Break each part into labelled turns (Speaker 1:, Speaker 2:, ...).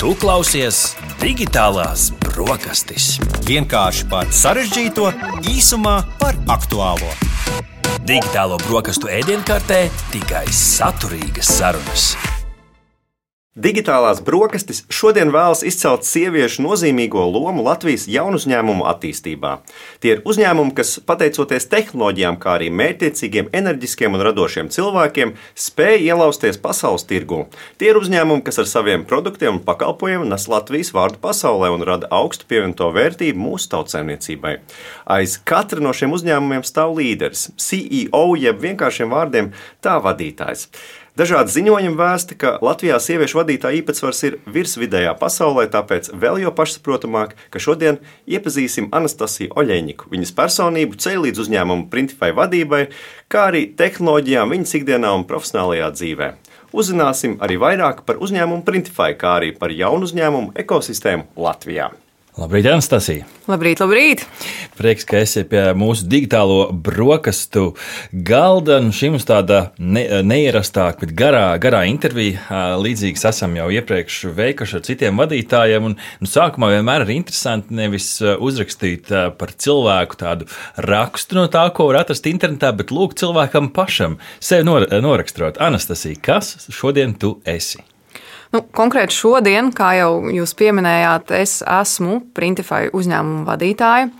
Speaker 1: Tu klausies Digitālās brokastis.
Speaker 2: Vienkārši par sarežģīto, īsumā par aktuālo.
Speaker 1: Digitālo brokastu ēdienkartē tikai saturīgas sarunas.
Speaker 3: Digitālās brokastis šodien vēlas izcelt sieviešu nozīmīgo lomu Latvijas jaunuzņēmumu attīstībā. Tie ir uzņēmumi, kas, pateicoties tehnoloģijām, kā arī mērķtiecīgiem, enerģiskiem un radošiem cilvēkiem, spēj ielausties pasaules tirgū. Tie ir uzņēmumi, kas ar saviem produktiem un pakalpojumiem nes Latvijas vārdu pasaulē un rada augstu pievienoto vērtību mūsu tautsaimniecībai. Aiz katra no šiem uzņēmumiem stāv līderis, CEO, jeb vienkāršiem vārdiem tā vadītājs. Dažādi ziņojumi vēsta, ka Latvijā sieviešu vadītāja īpatsvars ir virsvidējā pasaulē, tāpēc vēl jau pašsaprotamāk, ka šodien iepazīsim Anastasiju Oļeņiku, viņas personību ceļ līdz uzņēmumu Printify vadībai, kā arī tehnoloģijām viņas ikdienā un profesionālajā dzīvē. Uzzināsim arī vairāk par uzņēmumu Printify, kā arī par jaunu uzņēmumu ekosistēmu Latvijā.
Speaker 4: Labrīt, Anastasija!
Speaker 5: Labrīt, labrīt!
Speaker 4: Prieks, ka esi pie mūsu digitālo brokastu galda. Šī mums tāda neierastāka, bet garā intervija. Līdzīgas esam jau iepriekš veikuši ar citiem vadītājiem. Sākumā vienmēr ir interesanti nevis uzrakstīt par cilvēku tādu rakstu no tā, ko var atrast internetā, bet lūgt cilvēkam pašam sevi noraksturot. Anastasija, kas šodien tu esi?
Speaker 5: Konkrēti šodien, kā jau jūs pieminējāt, es esmu Printify uzņēmuma vadītāja.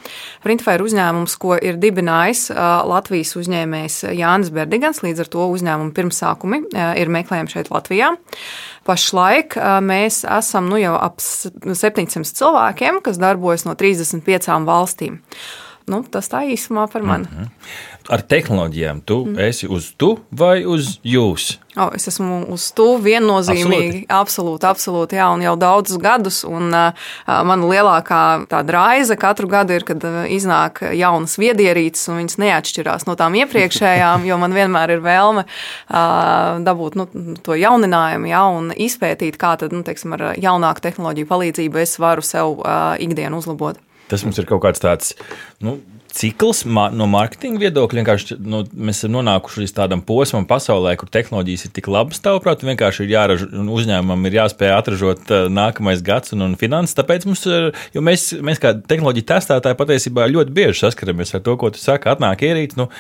Speaker 5: Printify ir uzņēmums, ko ir dibinājis Latvijas uzņēmējs Jānis Berdigans, līdz ar to uzņēmuma pirmsākumi ir meklējami šeit Latvijā. Pašlaik mēs esam jau ap 700 cilvēkiem, kas darbojas no 35 valstīm. Tas tā īsumā par mani.
Speaker 4: Ar tehnoloģijām tu esi uz tu vai uz jūs?
Speaker 5: Es esmu uz tu viennozīmīgi. Absolūti, jā, un jau daudzus gadus. Un mana lielākā tāda raize katru gadu ir, kad iznāk jaunas viedierīces, un viņas neatšķirās no tām iepriekšējām, jo man vienmēr ir vēlme dabūt to jauninājumu, jā, un izpētīt, kā tad, ar jaunāku tehnoloģiju palīdzību es varu sev ikdienu uzlabot.
Speaker 4: Tas mums ir kaut kāds tāds cikls no mārketinga viedokļa. Vienkārši mēs esam nonākuši līdz tādam posmam pasaulē, kur tehnoloģijas ir tik labas, tavuprāt, vienkārši ir jāražo, uzņēmumam ir jāspēj atražot nākamais gads un finanses. Tāpēc mums ir, jo mēs kā tehnoloģiju testētāji patiesībā ļoti bieži saskaramies ar to, ko tu saki, atnāk ierīce,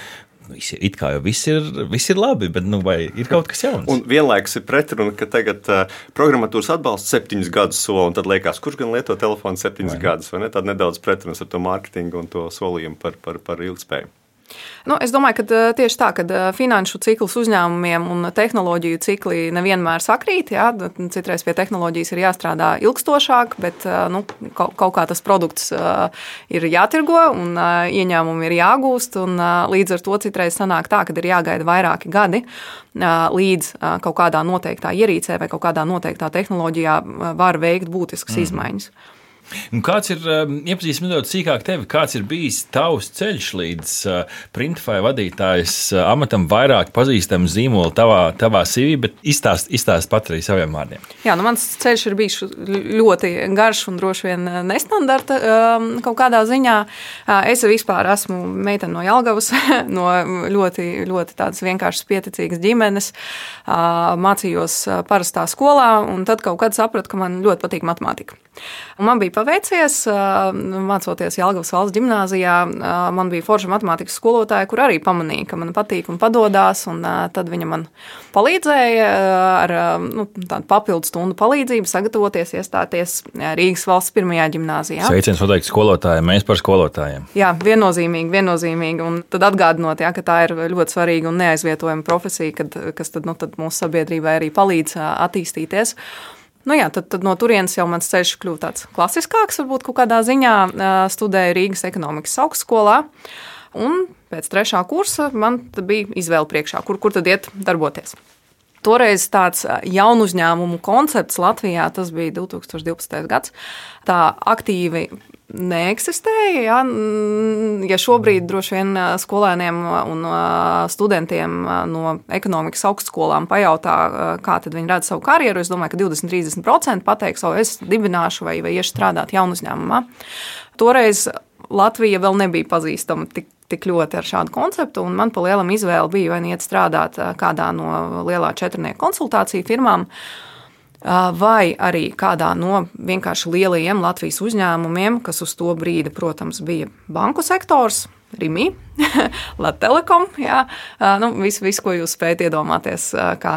Speaker 4: it kā jau viss ir labi, bet vai ir kaut kas jauns?
Speaker 3: Un vienlaikus ir pretruna, ka tagad programmatūras atbalsts 7 gadus sola, un tad liekas, kurš gan lieto telefonu 7 gadus, vai ne? Tad nedaudz pretrunas ar to mārketingu un to solījumu par ilgspēju.
Speaker 5: Es domāju, ka tieši tā, ka finanšu cikls uzņēmumiem un tehnoloģiju cikli nevienmēr sakrīt. Jā, citreiz pie tehnoloģijas ir jāstrādā ilgstošāk, bet kaut kā tas produkts ir jātirgo un ieņēmumi ir jāgūst. Un līdz ar to citreiz sanāk tā, ka ir jāgaida vairāki gadi, līdz kaut kādā noteiktā ierīcē vai kaut kādā noteiktā tehnoloģijā var veikt būtiskas izmaiņas.
Speaker 4: Un kāds ir, iepazīstam nedaudz sīkāk tevi, kāds ir bijis tavs ceļš līdz Printify vadītājas amatam, vairāk pazīstamu zīmolu tavā CV, bet izstāst pat arī saviem vārdiem. Jā,
Speaker 5: mans ceļš ir bijis ļoti garš un droši vien nestandarta kaut kādā ziņā. Es vispār esmu meitene no Jelgavas, no ļoti, ļoti tādas vienkāršas pieticīgas ģimenes, mācījos parastā skolā, un tad kaut kad sapratu, ka man ļoti patīk matemātika. Un man bija paveicies, mācoties Jelgavas valsts ģimnāzijā, man bija forša matemātikas skolotāja, kur arī pamanīja, ka man patīk un padodās, un tad viņa man palīdzēja ar tādu papildu stundu palīdzību sagatavoties, iestāties Rīgas valsts pirmajā ģimnāzijā.
Speaker 4: Sveiciens noteikti skolotājiem, mēs par skolotājiem.
Speaker 5: Jā, viennozīmīgi, un tad atgādinot, ka tā ir ļoti svarīga un neaizvietojama profesija, kas tad mūsu sabiedrībai arī palīdz attīstīties. Tad no turienes jau mans ceļš kļuva tāds klasiskāks, varbūt kaut kādā ziņā. Studēju Rīgas ekonomikas augstskolā, un pēc 3. kursa man bija izvēle priekšā, kur tad iet darboties. Toreiz tāds jaunu uzņēmumu koncepts Latvijā, tas bija 2012. gads, tā aktīvi neeksistēja. Ja šobrīd droši vien skolēniem un studentiem no ekonomikas augstskolām pajautā, kā tad viņi redz savu karjeru, es domāju, ka 20-30% pateiks, es dibināšu vai iešu strādāt jaunu uzņēmumā. Toreiz Latvija vēl nebija pazīstama tik ļoti ar šādu konceptu, un man pa lielam izvēle bija vai iet strādāt kādā no lielā 4 konsultāciju firmām, vai arī kādā no vienkārši lielajiem Latvijas uzņēmumiem, kas uz to brīdi, protams, bija banku sektors, Rimi, Latelekom, viss, ko jūs spējat iedomāties kā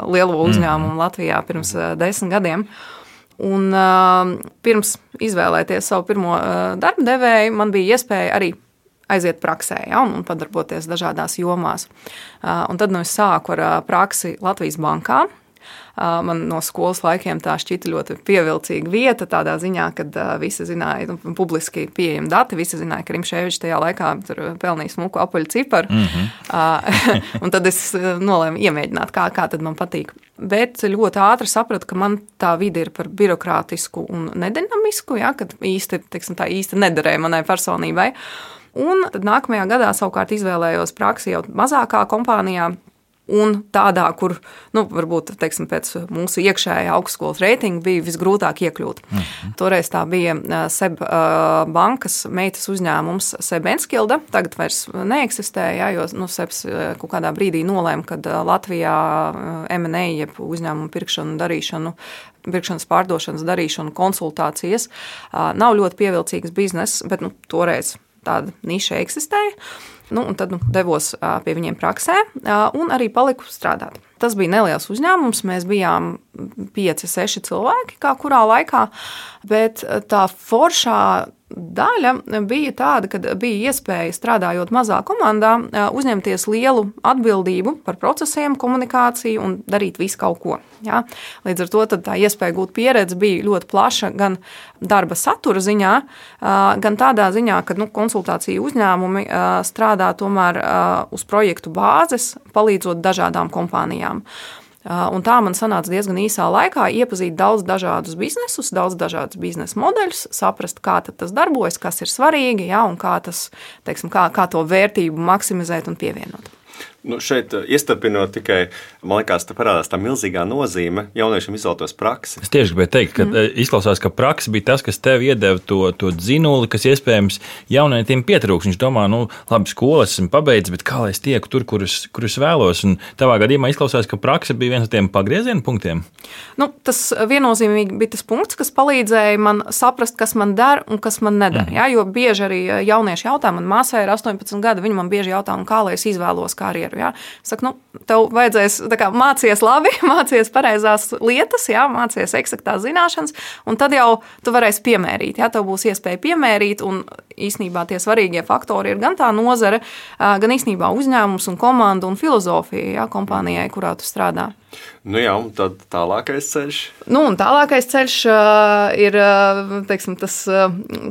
Speaker 5: lielo uzņēmumu Latvijā pirms 10 gadiem. Un pirms izvēlēties savu pirmo darba devēju, man bija iespēja arī aiziet praksē, un padarboties dažādās jomās. Un tad es sāku ar praksi Latvijas bankā. Man no skolas laikiem tā šķita ļoti pievilcīga vieta, tādā ziņā, kad visi zināja, publiski pieejami dati, visi zināja, ka Rimšēvičs tajā laikā tur pelnīja smuku apaļu ciparu. Un tad es nolēmu iemēģināt, kā tad man patīk. Bet ļoti ātri sapratu, ka man tā vide ir par birokrātisku un nedinamisku, kad īsti nederēja manai personībai. Un tad nākamajā gadā savukārt izvēlējos praksi jau mazākā kompānijā, un tādā, kur, varbūt, pēc mūsu iekšējā augstskolas reitinga bija visgrūtāk iekļūt. Toreiz tā bija SEB bankas meitas uzņēmums SEB Enskilde, tagad vairs neeksistē, jo SEBs kaut kādā brīdī nolēma, kad Latvijā M&A, jeb uzņēmumu pirkšanas pārdošanas darīšanu konsultācijas nav ļoti pievilcīgs bizness, bet toreiz tāda niša eksistēja. Un tad devos pie viņiem praksē un arī paliku strādāt. Tas bija neliels uzņēmums, mēs bijām 5-6 cilvēki, kā kurā laikā, bet tā foršā daļa bija tāda, ka bija iespēja strādājot mazā komandā, uzņemties lielu atbildību par procesiem, komunikāciju un darīt visu kaut ko. Ja? Līdz ar to tā iespēja gūt pieredzi bija ļoti plaša gan darba satura ziņā, gan tādā ziņā, ka konsultāciju uzņēmumi strādā tomēr uz projektu bāzes, palīdzot dažādām kompānijām. Un tā man sanāca diezgan īsā laikā iepazīt daudz dažādus biznesus, daudz dažādus biznesa modeļus, saprast, kā tas darbojas, kas ir svarīgi, un kā to vērtību maksimizēt un pievienot.
Speaker 3: Šeit iestarpinot tikai, man liekas, te parādās tā milzīgā nozīme jauniešiem izvēlētos praksi.
Speaker 4: Es tieši gribēju teikt, ka izklausās, ka praksa bija tas, kas tev iedeva to dzinuli, kas iespējams jaunietim pietrūks. Viņš domā, labi, skolas esmu pabeidzis, bet kā lai es tieku tur, kur es vēlos? Un tavā gadījumā izklausās, ka praksa bija viens no tiem pagrieziena punktiem.
Speaker 5: Tas viennozīmīgi bija tas punkts, kas palīdzēja man saprast, kas man der un kas man neder. Jo bieži arī jaunieši jautā, man māsai ir 18 gadi, viņi man bieži jautā, kā lai es izvēlos karjeru. Ja? Es saku, tev vajadzēs mācies labi, mācies pareizās lietas, mācies eksaktās zināšanas, un tad jau tu varēsi piemērīt. Ja? Tev būs iespēja piemērīt, un īsnībā tie svarīgie faktori ir gan tā nozare, gan īstenībā uzņēmums un komanda un filozofija kompānijai, kurā tu strādā.
Speaker 3: Un tad tālākais ceļš?
Speaker 5: Tālākais ceļš ir, tas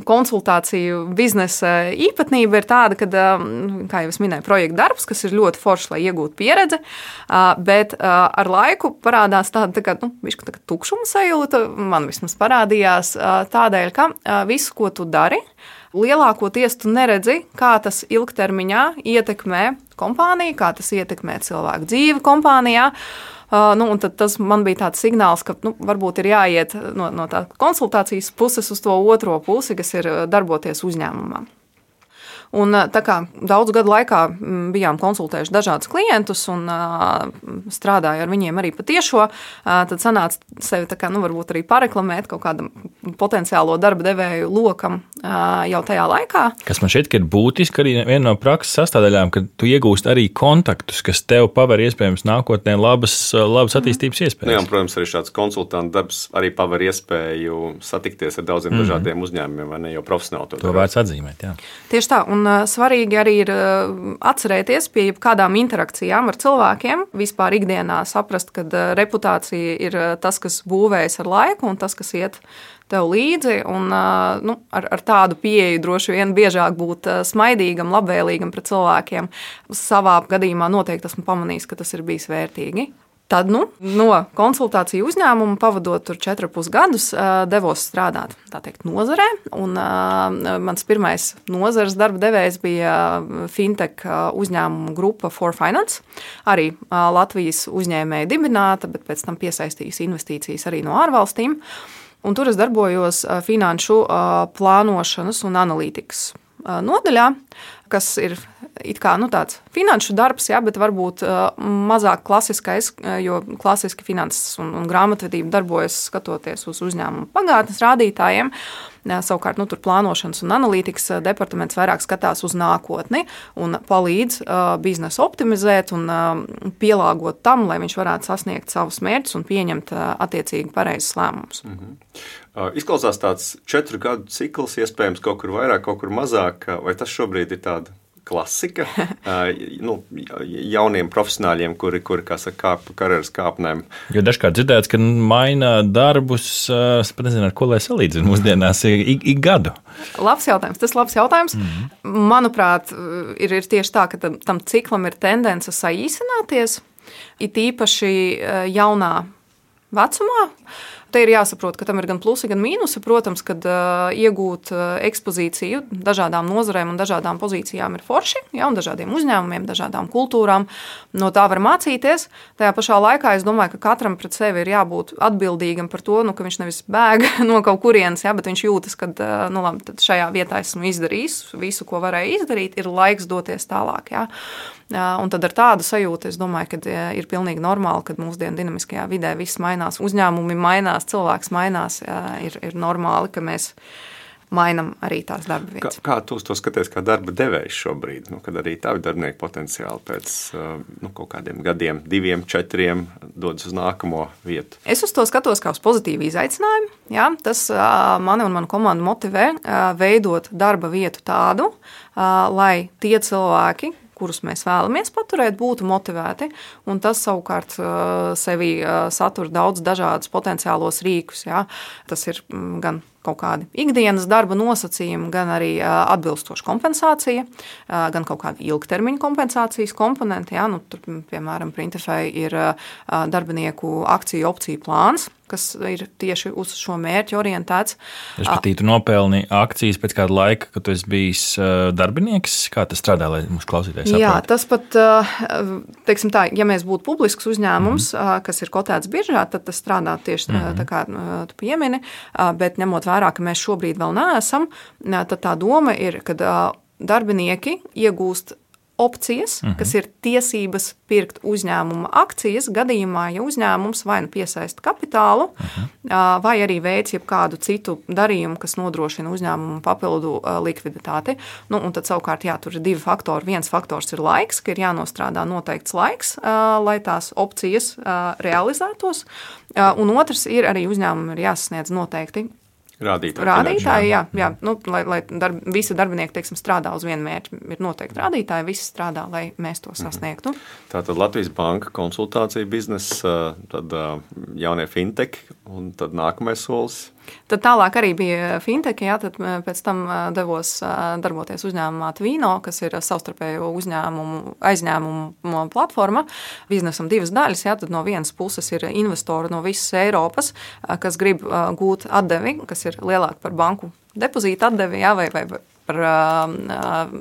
Speaker 5: konsultāciju biznesa īpatnība ir tāda, ka, kā jau es minēju, projekta darbs, kas ir ļoti foršs, lai iegūtu pieredzi, bet ar laiku parādās tāda tukšuma sajūta, man vismaz parādījās tādēļ, ka visu, ko tu dari, lielākoties tu neredzi, kā tas ilgtermiņā ietekmē kompāniju, kā tas ietekmē cilvēku dzīvi kompānijā. Un tad tas man bija tāds signāls, ka varbūt ir jāiet no tā konsultācijas puses uz to otro pusi, kas ir darboties uzņēmumā. Un tā kā daudzu gadu laikā bijām konsultējuši dažādus klientus un strādāju ar viņiem arī patiešo, tad sanāca sevi varbūt arī pareklamēt kaut kādam potenciālo darba devēju lokam jau tajā laikā.
Speaker 4: Kas man šķiet, ka ir būtiski arī viena no prakses sastāvdaļām, ka tu iegūst arī kontaktus, kas tev paver iespējams nākotnē labas attīstības iespējas.
Speaker 3: Protams, arī šāds konsultanta darbs arī paver iespēju satikties ar daudziem dažādiem uzņēmumiem, vai ne, jau profesionāli
Speaker 4: to vērts atzīmēt, jā.
Speaker 5: Tieši tā, un svarīgi arī ir atcerēties pie kādām interakcijām ar cilvēkiem, vispār ikdienā saprast, ka reputācija ir tas, kas būvējas ar laiku un tas, kas iet tev līdzi, un ar tādu pieeju droši vien biežāk būt smaidīgam, labvēlīgam pret cilvēkiem. Savā gadījumā noteikti esmu pamanījis, ka tas ir bijis vērtīgi. Tad no konsultāciju uzņēmuma pavadot tur 4,5 gadus devos strādāt, tā teikt, nozarē. Un mans pirmais nozares darba devējs bija fintech uzņēmuma grupa For Finance. Arī Latvijas uzņēmēja dibināta, bet pēc tam piesaistījusi investīcijas arī no ārvalstīm. Un tur es darbojos finanšu plānošanas un analītikas nodaļā. kas ir it kā tāds finanšu darbs, ja, bet varbūt mazāk klasiskais, jo klasiski finanses un grāmatvedība darbojas skatoties uz uzņēmumu pagātnes rādītājiem. Savukārt tur plānošanas un analītikas departaments vairāk skatās uz nākotni un palīdz biznesu optimizēt un pielāgot tam, lai viņš varētu sasniegt savus mērķus un pieņemt attiecīgi pareizus lēmumus.
Speaker 3: Izklausās tāds 4 gadu cikls, iespējams kaut kur vairāk, kaut kur mazāk, vai tas šobrīd ir tāda klasika jauniem profesionāļiem, kuri kā saka, kāp karjeras kāpnēm.
Speaker 4: Jo dažkārt dzirdēts, ka maina darbus, es pat nezinu, ar ko lai salīdzinu mūsdienās, ik gadu.
Speaker 5: Labs jautājums. Tas labs jautājums. Manuprāt, ir tieši tā, ka tam ciklam ir tendence saīsināties, it īpaši jaunā vecumā. Te ir jāsaprot, ka tam ir gan plusi, gan mīnusi. Protams, kad iegūt ekspozīciju dažādām nozarēm un dažādām pozīcijām ir forši, ja, un dažādiem uzņēmumiem, dažādām kultūrām. No tā var mācīties. Tajā pašā laikā es domāju, ka katram pret sevi ir jābūt atbildīgam par to, ka viņš nevis bēg no kaut kurienes, ja, bet viņš jūtas, ka labi, tad šajā vietā esmu izdarījis visu, ko varēju izdarīt, ir laiks doties tālāk. Ja. Un tad ar tādu sajūtu es domāju, ka ir pilnīgi normāli, kad mūsdienu dinamiskajā vidē viss mainās, uzņēmumi mainās, cilvēks mainās, ir normāli, ka mēs mainam arī tās darba vietas.
Speaker 3: Kā tu to skaties kā darba devējs šobrīd, kad arī tavi darbinieki potenciāli pēc kaut kādiem gadiem, 2, 4 dodas uz nākamo vietu?
Speaker 5: Es uz to skatos kā uz pozitīvu izaicinājumu. Ja? Tas mani un manu komandu motivē veidot darba vietu tādu, lai tie cilvēki, kurus mēs vēlamies paturēt, būtu motivēti, un tas savukārt sevi satur daudz dažādus potenciālos rīkus. Ja? Tas ir gan kaut kādi ikdienas darba nosacījumi, gan arī atbilstoša kompensācija, gan kaut kāda ilgtermiņa kompensācijas komponenti. Ja? Tur, piemēram, Printefai ir darbinieku akciju opciju plāns, kas ir tieši uz šo mērķu orientēts.
Speaker 4: Respektīvi, tu nopelni akcijas pēc kāda laika, kad tu esi bijis darbinieks. Kā tas strādā, lai mums klausītājs saprot?
Speaker 5: Jā, tas pat, teiksim tā, ja mēs būtu publisks uzņēmums, kas ir kotēts biržā, tad tas strādā tieši tā kā tu piemini, bet ņemot vērā, ka mēs šobrīd vēl neesam, tad tā doma ir, ka darbinieki iegūst opcijas, kas ir tiesības pirkt uzņēmuma akcijas gadījumā, ja uzņēmums vai nu piesaista kapitālu, vai arī veic jebkādu citu darījumu, kas nodrošina uzņēmumu papildu likviditāti. Un tad savukārt, jā, tur ir 2 faktori. Viens faktors ir laiks, ka ir jānostrādā noteikts laiks, lai tās opcijas realizētos, un otrs ir arī uzņēmumam ir jāsasniedz noteikti Rādītāji, jā. Lai visi darbinieki, teiksim, strādā uz vienu mērķi, ir noteikti rādītāji, visi strādā, lai mēs to sasniegtu.
Speaker 3: Tātad Latvijas Banka konsultācija biznesa, tad jaunie fintech un tad nākamais solis.
Speaker 5: Tad tālāk arī bija fintech, jā, tad pēc tam devos darboties uzņēmumā Tvino, kas ir savstarpējo aizņēmumu platforma. Biznesam 2 daļas, jā, tad no vienas puses ir investori no visas Eiropas, kas grib gūt atdevi, kas ir lielāka par banku depozītu atdevi, jā, vai par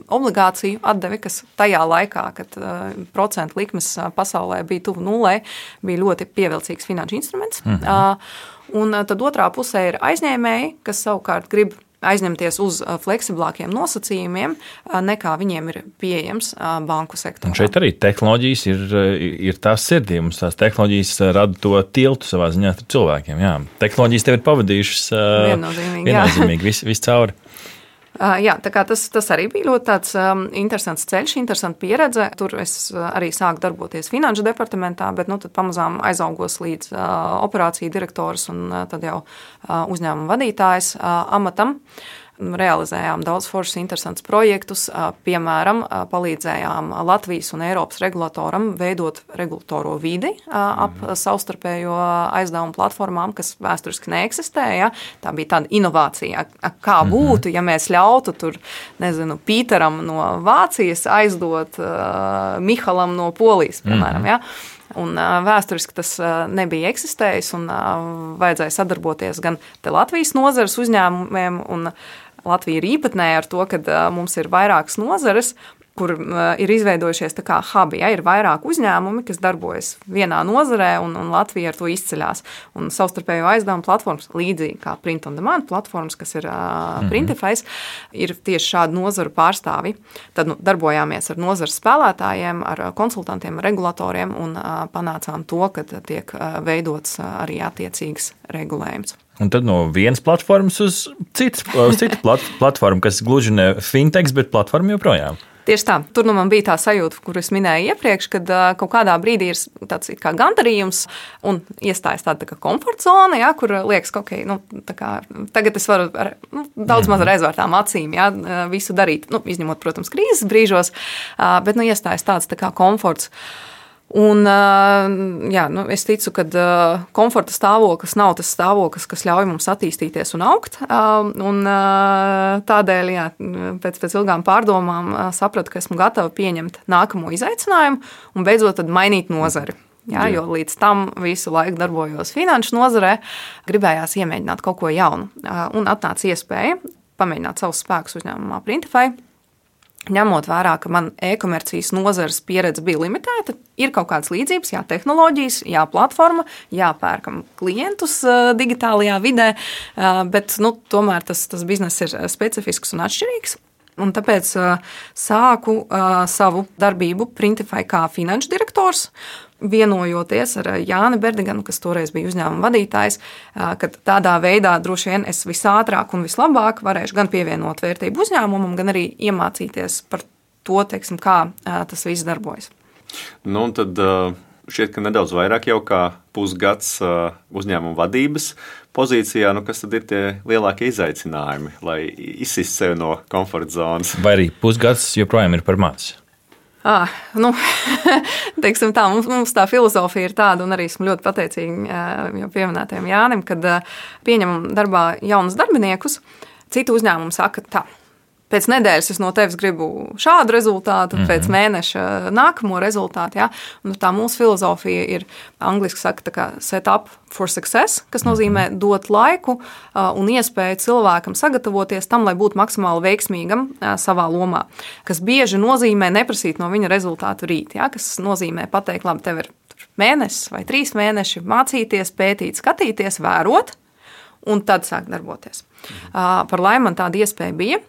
Speaker 5: obligāciju atdevi, kas tajā laikā, kad procentu likmes pasaulē bija tuvu nulē, bija ļoti pievilcīgs finanšu instruments. Un tad otrā pusē ir aizņēmēji, kas savukārt grib aizņemties uz fleksiblākiem nosacījumiem, nekā viņiem ir pieejams banku sektorā.
Speaker 4: Un šeit arī tehnoloģijas ir tās sirdī. Mums tās tehnoloģijas rada to tiltu savā ziņā ar cilvēkiem. Jā. Tehnoloģijas tev ir pavadījušas viennozīmīgi viss cauri.
Speaker 5: Jā, tā kā tas arī bija ļoti tāds interesants ceļš, interesanta pieredze. Tur es arī sāku darboties finanšu departamentā, bet tad pamazām aizaugos līdz operāciju direktors un tad jau uzņēmuma vadītājs amatam. Realizējām daudz foršus, interesantus projektus, piemēram, palīdzējām Latvijas un Eiropas regulatoram veidot regulatoro vidi ap savstarpējo aizdevumu platformām, kas vēsturiski neeksistēja. Tā bija tāda inovācija, kā būtu, ja mēs ļautu tur, Pīteram no Vācijas aizdot Mihalam no Polijas, piemēram, ja. Un vēsturiski tas nebija eksistējis un vajadzēja sadarboties gan te Latvijas nozares uzņēmumiem, un Latvija ir īpatnēja ar to, ka mums ir vairākas nozares, kur ir izveidojušies tā kā hubi. Ja, ir vairāk uzņēmumi, kas darbojas vienā nozarē, un Latvija ar to izceļās. Un savstarpējo aizdevumu platformas, līdzīgi kā Print on Demand platformas, kas ir Printify, ir tieši šādu nozaru pārstāvi. Tad darbojāmies ar nozares spēlētājiem, ar konsultantiem, regulatoriem un panācām to, ka tiek veidots arī attiecīgs regulējums.
Speaker 4: Un tad no vienas platformas uz citu platformu, kas gluži ne fintechs, bet platforma joprojām.
Speaker 5: Tieši tā. Tur man bija tā sajūta, kur es minēju iepriekš, kad kaut kādā brīdī ir tāds kā gandarījums un iestājas tāda kā komforta zona, ja, kur liekas, ka okay, tagad es varu ar daudz maz ar aizvērtām acīm visu darīt, izņemot, protams, krīzes brīžos, bet iestājas tāds tā kā komforts. Un, es ticu, ka komforta stāvoklis nav tas stāvoklis, kas ļauj mums attīstīties un augt. Un tādēļ, pēc ilgām pārdomām sapratu, ka esmu gatava pieņemt nākamo izaicinājumu un beidzot tad mainīt nozari. Jo līdz tam visu laiku darbojos finanšu nozarē, gribējās iemēģināt kaut ko jaunu. Un atnāca iespēja pamēģināt savus spēkus uzņēmumā Printify. Ņemot vērā, ka man e-komercijas nozares pieredze bija limitēta, ir kaut kādas līdzības, tehnoloģijas, platforma, pērkam klientus digitālajā vidē, bet tomēr tas bizness ir specifisks un atšķirīgs. Un tāpēc sāku savu darbību Printify kā finanšu direktors, vienojoties ar Jāni Berdiganu, kas toreiz bija uzņēmuma vadītājs, ka tādā veidā droši vien es visātrāk un vislabāk varēšu gan pievienot vērtību uzņēmumam, gan arī iemācīties par to, teiksim, kā tas viss darbojas.
Speaker 3: Un tad šķiet, ka nedaudz vairāk jau kā pusgads uzņēmuma vadības pozīcijā, kas tad ir tie lielākie izaicinājumi, lai izsist sevi no komforta zonas?
Speaker 4: Vai arī pusgads joprojām ir par maz?
Speaker 5: Teiksim tā, mums tā filozofija ir tāda, un arī esmu ļoti pateicīga jau pieminētajam Jānim, kad pieņemam darbā jaunus darbiniekus. Citu uzņēmumu saka tā. Pēc nedēļas es no tevis gribu šādu rezultātu, pēc mēneša nākamo rezultātu. Ja? Un tā mūsu filozofija ir, angliski saka, tā kā set up for success, kas nozīmē dot laiku un iespēju cilvēkam sagatavoties tam, lai būtu maksimāli veiksmīgam savā lomā. Kas bieži nozīmē neprasīt no viņa rezultātu rīt, ja? Kas nozīmē pateikt, labi, tev ir mēnesis vai 3 mēneši mācīties, pētīt, skatīties, vērot, un tad sāk darboties. Par laimi man tāda iespēja bija,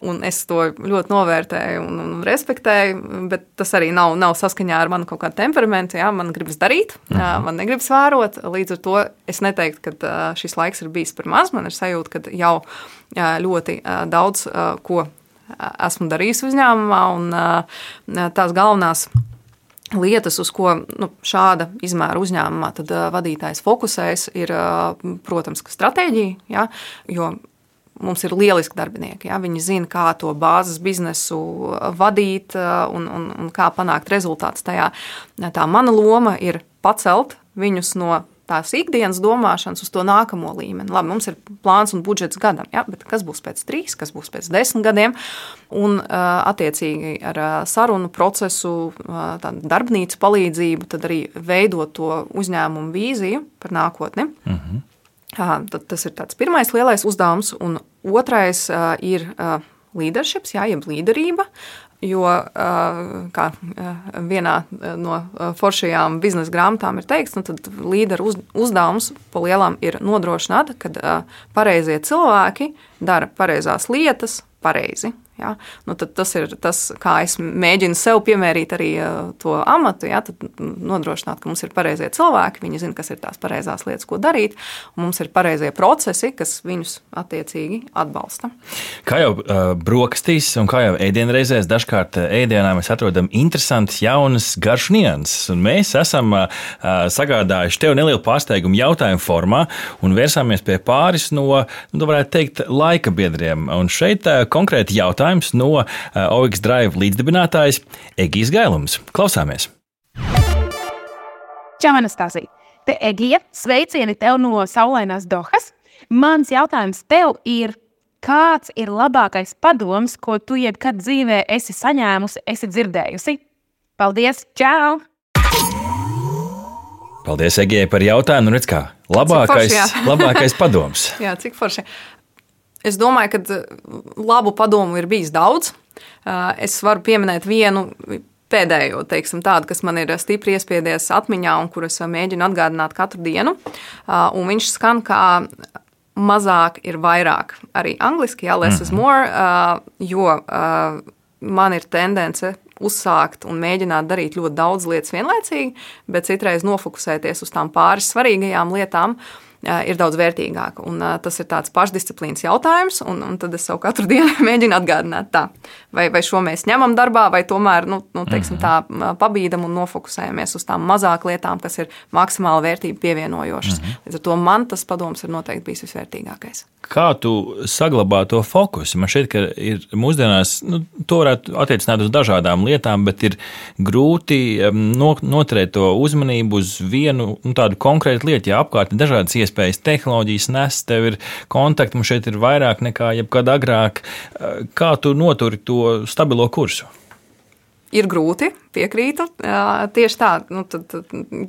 Speaker 5: un es to ļoti novērtēju un respektēju, bet tas arī nav saskaņā ar manu kaut kādu temperamentu. Ja? Man gribas darīt, man negribas vērot. Līdz ar to es neteiktu, ka šis laiks ir bijis par maz. Man ir sajūta, ka jau ļoti daudz ko esmu darījis uzņēmumā, un tās galvenās lietas, uz ko šāda izmēra uzņēmumā tad vadītājs fokusēs, ir, protams, stratēģija, ja, jo mums ir lieliski darbinieki. Ja, viņi zina, kā to bāzes biznesu vadīt un kā panākt rezultātus tajā. Tā mana loma ir pacelt viņus no tās ikdienas domāšanas uz to nākamo līmeni. Labi, mums ir plāns un budžets gadam, ja, bet kas būs pēc 3, kas būs pēc 10 gadiem? Un attiecīgi ar sarunu procesu, darbnīcu palīdzību, tad arī veidot to uzņēmumu vīziju par nākotni. Tad tas ir tāds pirmais lielais uzdevums, un otrais ir leaderships, jeb līderība. Jo, kā vienā no foršajām biznesa grāmatām ir teikts, tad līderu uzdevums pa lielām ir nodrošināt, kad pareizie cilvēki dara pareizās lietas pareizi. Ja? Tad tas ir tas, kā es mēģinu sev piemērīt arī to amatu, ja? Tad nodrošināt, ka mums ir pareizie cilvēki, viņi zina, kas ir tās pareizās lietas, ko darīt, un mums ir pareizie procesi, kas viņus attiecīgi atbalsta.
Speaker 4: Kā jau brokastīs un kā jau ēdienreizēs, dažkārt ēdienā mēs atrodam interesantas, jaunas, garšas nianses, un mēs esam sagādājuši tev nelielu pārsteigumu jautājumu formā un vērsāmies pie pāris no, varētu teikt, laika biedriem. Un šeit konkrēti jautājums no OX Drive līdzdibinātājas Egijas Gailums. Klausāmies!
Speaker 6: Čau, Anastasija! Te Egija, sveicieni tev no saulainās Dohas. Mans jautājums tev ir, kāds ir labākais padoms, ko tu jebkad dzīvē esi saņēmusi, esi dzirdējusi? Paldies! Čau!
Speaker 4: Paldies, Egijai, par jautājumu. Redz kā, labākais padoms.
Speaker 5: Jā, cik forši. Es domāju, ka labu padomu ir bijis daudz. Es varu pieminēt vienu pēdējo, teiksim, tādu, kas man ir stipri iespiedies atmiņā un kur es mēģinu atgādināt katru dienu. Un viņš skan kā mazāk ir vairāk. Arī angliski, less is more, jo man ir tendence uzsākt un mēģināt darīt ļoti daudz lietas vienlaicīgi, bet citreiz nofokusēties uz tām pāris svarīgajām lietām ir daudz vērtīgāk. Un tas ir tāds pašdisciplīnas jautājums, un tad es savu katru dienu mēģinu atgādināt tā. Vai šo mēs ņemam darbā, vai tomēr, teiksim tā, pabīdam un nofokusējamies uz tām mazāk lietām, kas ir maksimāli vērtību pievienojošas. Līdz ar to man tas padoms ir noteikti bijis visvērtīgākais.
Speaker 4: Kā tu saglabā to fokusu? Man šķiet, ka ir mūsdienās, to varētu attiecināt uz dažādām lietām, bet ir grūti noturēt to uzmanību uz vienu tādu konkrētu lietu, ja apkārt ir dažādas iespējas, tehnoloģijas nes, tev ir kontakti, mums šeit ir vairāk nekā jebkad agrāk. Kā tu noturi to stabilo kursu?
Speaker 5: Ir grūti, piekrītu. Tieši tā,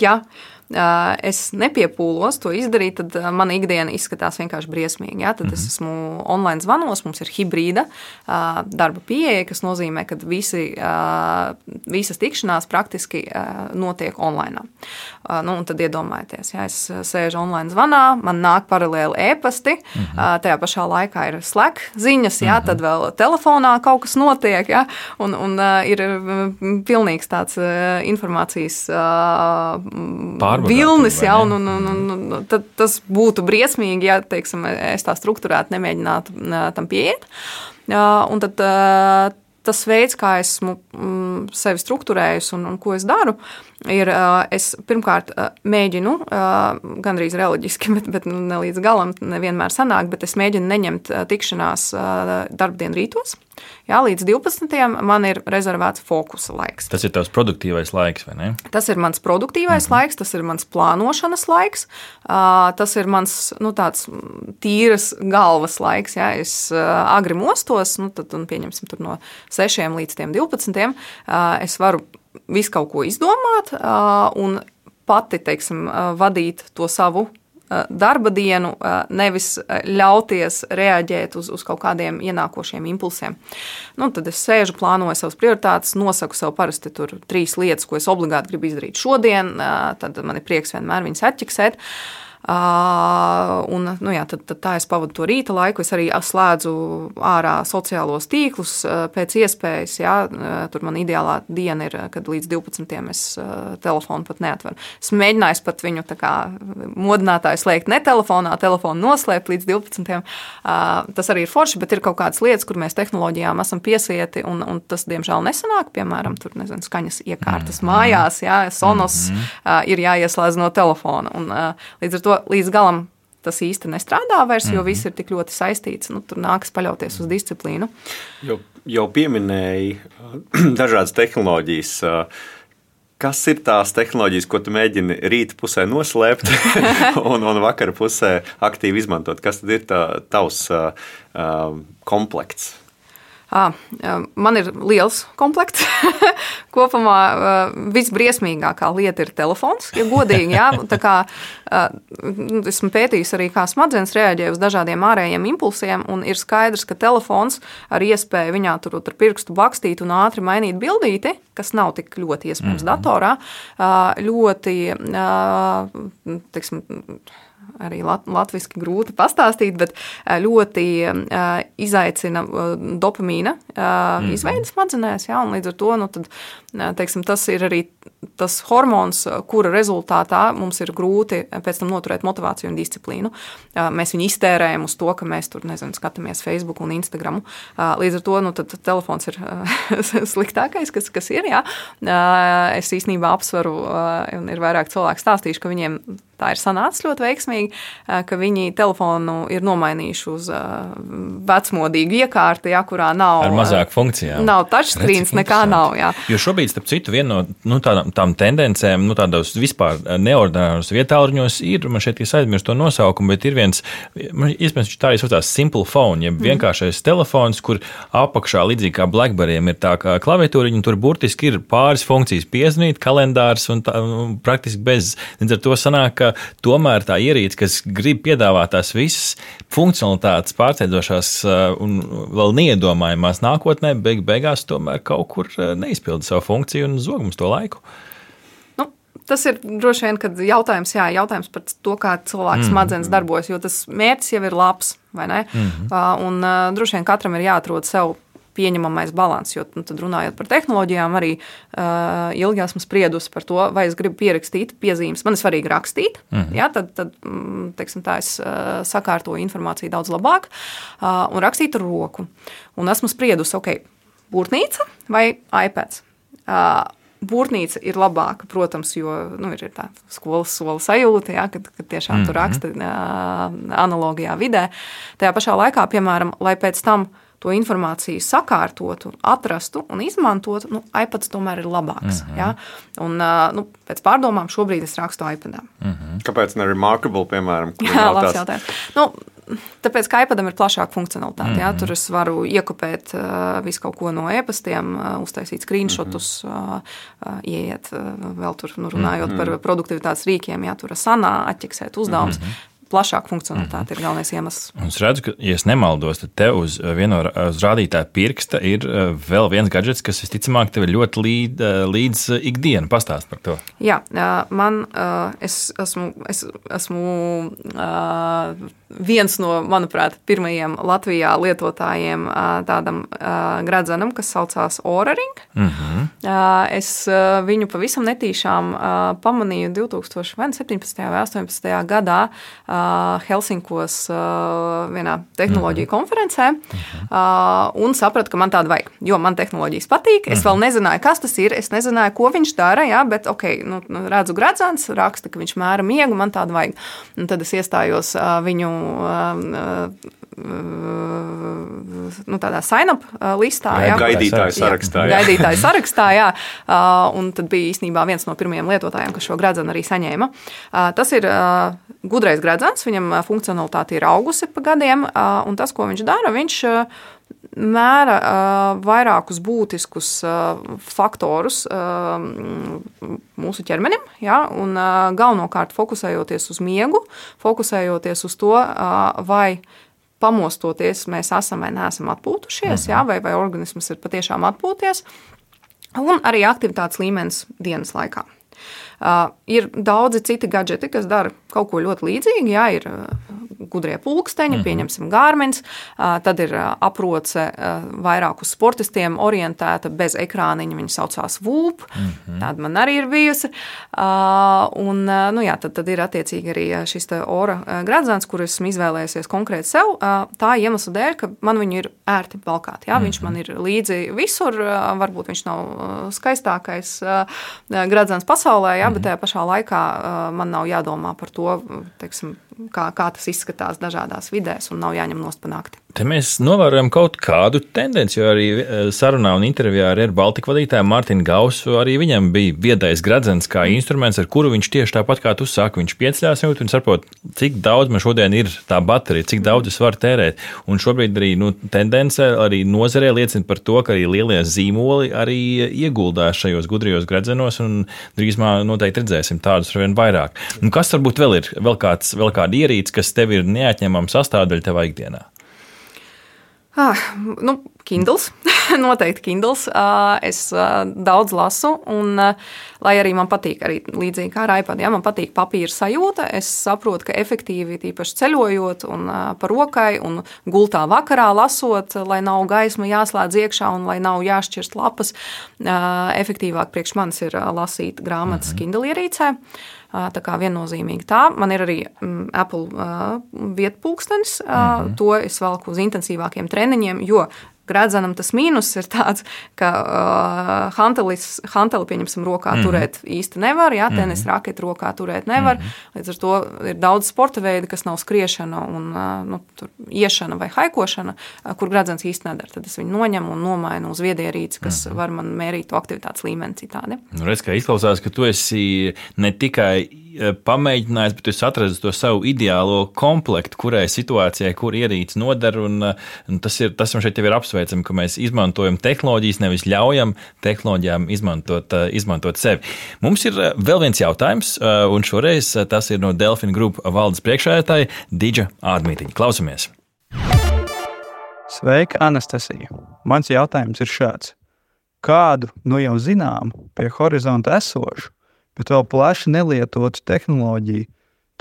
Speaker 5: ja es nepiepūlos to izdarīt, tad mana ikdiena izskatās vienkārši briesmīgi. Ja? Tad es esmu online zvanos, mums ir hibrīda darba pieeja, kas nozīmē, ka visas tikšanās praktiski notiek online. Un tad iedomājieties, ja es sēžu online zvanā, man nāk paralēli e-pasti, tajā pašā laikā ir Slack ziņas, ja? Tad vēl telefonā kaut kas notiek, ja? un ir pilnīgs tāds informācijas vilnis, ja, un tad tas būtu briesmīgi, ja, teiksim, es tā strukturēti nemēģinātu tam pieiet. Un tad tas veids, kā esmu sevi strukturējusi un ko es daru, ir, es pirmkārt mēģinu, gandrīz reliģiski, bet ne līdz galam nevienmēr sanāk, bet es mēģinu neņemt tikšanās darbdienu rītos. Jā, līdz 12. man ir rezervēts fokusa laiks.
Speaker 4: Tas ir tavs produktīvais laiks, vai ne?
Speaker 5: Tas ir mans produktīvais laiks, tas ir mans plānošanas laiks, tas ir mans tāds tīras galvas laiks. Jā. Es agri mostos, tad pieņemsim tur no 6 līdz 12. Es varu visu kaut ko izdomāt un pati, teiksim, vadīt to savu darba dienu, nevis ļauties reaģēt uz kaut kādiem ienākošiem impulsiem. Tad es sēžu, plānoju savas prioritātes, nosaku sev parasti tur 3 lietas, ko es obligāti gribu izdarīt šodien, tad man ir prieks vienmēr viņas atķiksēt. Un, tad tā es pavadu to rīta laiku, es arī slēdzu ārā sociālos tīklus pēc iespējas, jā, tur man ideālā diena ir, kad līdz 12. es telefonu pat neatveru. Es mēģināju pat viņu tā kā modinātāju slēgt ne telefonā, telefonu noslēpt līdz 12. Tas arī ir forši, bet ir kaut kādas lietas, kur mēs tehnoloģijām esam piesieti, un tas, diemžēl, nesanāk, piemēram, tur, skaņas iekārtas mājās, jā, Sonos ir jāieslēdz no telefona, un līdz ar to līdz galam tas īsti nestrādā vairs, jo viss ir tik ļoti saistīts. Tur nākas paļauties uz disciplīnu.
Speaker 3: Jau pieminēji dažādas tehnoloģijas. Kas ir tās tehnoloģijas, ko tu mēģini rīta pusē noslēpt un vakara pusē aktīvi izmantot? Kas tad ir tavs komplekts?
Speaker 5: Man ir liels komplekts. Kopumā visbriesmīgākā lieta ir telefons, ja godīgi. Jā. Tā kā esmu pētījis arī, kā smadzenes reaģē uz dažādiem ārējiem impulsiem, un ir skaidrs, ka telefons ar iespēju viņā tur ar pirkstu bakstīt un ātri mainīt bildīti, kas nav tik ļoti iespējams datorā, ļoti, teiksim, arī latviski grūti pastāstīt, bet ļoti izaicina dopamīna izveidi smadzenēs, jā, un līdz ar to, tad, teiksim, tas ir arī tas hormons, kura rezultātā mums ir grūti pēc tam noturēt motivāciju un disciplīnu. Mēs viņu iztērējam uz to, ka mēs tur, skatāmies Facebook un Instagramu. Līdz ar to, tad telefons ir sliktākais, kas ir, jā. Es īstenībā apsveru, un ir vairāk cilvēku stāstījuši, ka viņiem tā ir sanācis ļoti veiksmīgi, ka viņi telefonu ir nomainījuši uz vecmodīgu iekārti, jā, kurā nav... Ar
Speaker 4: mazāk funkcijām.
Speaker 5: Nav touchscreens, nekā nav, jā.
Speaker 4: Jo šobrīd, starp citu, viena no tām tendencēm, tādos vispār neordināros vietāluņos ir, man šeit es aizmirstu to nosaukumu, bet ir viens, iespējams, tā arī saucās simple phone, ja vienkāršais telefons, kur apakšā līdzīgi kā BlackBerry'iem ir tā kā klaviatūriņa, tur burtiski ir pāris funkcijas, piezvanīt, kalendārs un praktiski bez. Līdz ar to sanāk, ka tomēr tā ierīce, kas grib piedāvāt tās visas funkcionalitātes pārsteidzošās un vēl neiedomājamās nākotnē, beigās tomēr kaut kur neizpilda savu funkciju un zog mums to laiku.
Speaker 5: Tas ir droši vien jautājums par to, kā cilvēks smadzenes darbojas, jo tas mērķis jau ir labs, vai ne? Un droši vien katram ir jāatrod sev pieņemamais balans, jo tad runājot par tehnoloģijām, arī ilgi esmu spriedusi par to, vai es gribu pierakstīt piezīmes. Man ir svarīgi rakstīt, tad teiksim tā, es sakārtoju informāciju daudz labāk un rakstīt ar roku. Un esmu spriedusi, būrtnīca vai iPads. Būrtnīca ir labāka, protams, jo ir tā skolas sola sajūta, kad tiešām tu raksti analogijā vidē. Tajā pašā laikā, piemēram, lai pēc tam to informāciju sakārtotu, atrastu un izmantotu, iPads tomēr ir labāks. Ja? Un pēc pārdomām šobrīd es rakstu iPadā.
Speaker 3: Kāpēc ne Remarkable, piemēram?
Speaker 5: Labs jautājums. Tāpēc, ka iPadam ir plašāka funkcionalitāte. Ja? Tur es varu iekopēt visu kaut ko no e-pastiem, uztaisīt screenshotus, ieiet vēl tur, runājot par produktivitātes rīkiem, ja tur Asana, atķeksēt uzdevumus. Plašāka funkcionalitāte ir galvenais iemesls.
Speaker 4: Un es redzu, ka, ja es nemaldos, tad tev uz rādītāja pirksta ir vēl viens gadžets, kas visticamāk tev ir ļoti līdz ikdienu. Pastāst par to.
Speaker 5: Jā, es esmu viens no, manuprāt, pirmajiem Latvijā lietotājiem tādam gradzenam, kas saucās Oura Ring. Es viņu pavisam netīšām pamanīju 2017. vai 18. gadā Helsinkos vienā tehnoloģiju konferencē un sapratu, ka man tāda vajag, jo man tehnoloģijas patīk. Es vēl nezināju, kas tas ir, es nezināju, ko viņš dara, jā, bet redzu gradzens, raksta, ka viņš mēra miegu, man tāda vajag. Un tad es iestājos viņu tādā sign-up listā.
Speaker 3: Gaidītāju sarakstā.
Speaker 5: Gaidītāju sarakstā, jā. Un tad bija īstenībā viens no pirmajiem lietotājiem, kas šo gradzenu arī saņēma. Tas ir gudrais gradzens, viņam funkcionalitāte ir augusi pa gadiem, un tas, ko viņš dara, viņš mēra vairākus būtiskus faktorus mūsu ķermenim, ja, un galvenokārt fokusējoties uz miegu, fokusējoties uz to, vai pamostoties mēs esam vai neesam atpūtušies, ja, vai organisms ir patiešām atpūties, un arī aktivitātes līmenis dienas laikā. Ir daudzi citi gadžeti, kas dara kaut ko ļoti līdzīgi, jā, ir gudrie pulksteņi, pieņemsim Garmins, tad ir aproce vairāk uz sportistiem orientēta bez ekrāniņa, viņa saucās Whoop, tāda man arī ir bijusi, un tad ir attiecīgi arī šis te Oura gradzens, kur esmu izvēlējusies konkrēti sev, tā iemesla dēļ, ka man viņu ir ērti valkāt, jā, viņš man ir līdzi visur, varbūt viņš nav skaistākais gradzens pasaulē, jā, bet tajā pašā laikā man nav jādomā par to, teiksim, kā tas izskatās dažādās vidēs un nav jāņem nost pa nakti.
Speaker 4: Te mēs novērojam kaut kādu tendenci, jo arī sarunā un intervijā ar Air Baltica vadītāju Mārtiņu Gausu arī viņam bija viedais gradzens kā instruments, ar kuru viņš tieši tāpat kā tu saki, viņš pieceļās un saprot, cik daudz man šodien ir tā baterija, cik daudz es varu tērēt. Un šobrīd arī tendence arī nozarē liecina par to, ka arī lielie zīmoli arī ieguldās šajos gudrajos gradzenos un drīzumā noteikti redzēsim tādus arvien vairāk. Un kas varbūt vēl ir, vēl kāda ierīce, kas tev ir neatņemama sastāvdaļa tevā ikdienā?
Speaker 5: Kindles, noteikti Kindles. Es daudz lasu, un lai arī man patīk, arī līdzīgi kā ar iPad, ja, man patīk papīra sajūta, es saprotu, ka efektīvi tīpaši ceļojot un pa rokai un gultā vakarā lasot, lai nav gaisma jāslēdz iekšā un lai nav jāšķirst lapas, efektīvāk priekš manis ir lasīt grāmatas Kindle ierīcē. Tā kā viennozīmīgi tā. Man ir arī Apple vietpulkstenis, to es velku uz intensīvākiem treniņiem, jo gradzenam tas mīnus ir tāds, ka hanteli, pieņemsim, rokā turēt īsti nevar, jā, tenis raketi rokā turēt nevar, līdz ar to ir daudz sporta veidi, kas nav skriešana un tur iešana vai haikošana, kur gradzens īsti nedara. Tad es viņu noņemu un nomainu uz viedierīci, kas var man mērīt to aktivitātes līmeni citādi.
Speaker 4: Redz, kā izklausās, ka tu esi ne tikai pamēģinājis, bet tu esi atradis to savu ideālo komplektu, kurai situācijai, kur ierīce noder. Tas man šeit jau ir apsveicami, ka mēs izmantojam tehnoloģijas, nevis ļaujam tehnoloģijām izmantot sevi. Mums ir vēl viens jautājums, un šoreiz tas ir no Delfina Group valdes priekšsēdētāja Didža Ādmītiņa. Klausamies!
Speaker 7: Sveika, Anastasija! Mans jautājums ir šāds. Kādu jau zinām pie horizonta esošu, bet vēl plaši nelietotu tehnoloģiju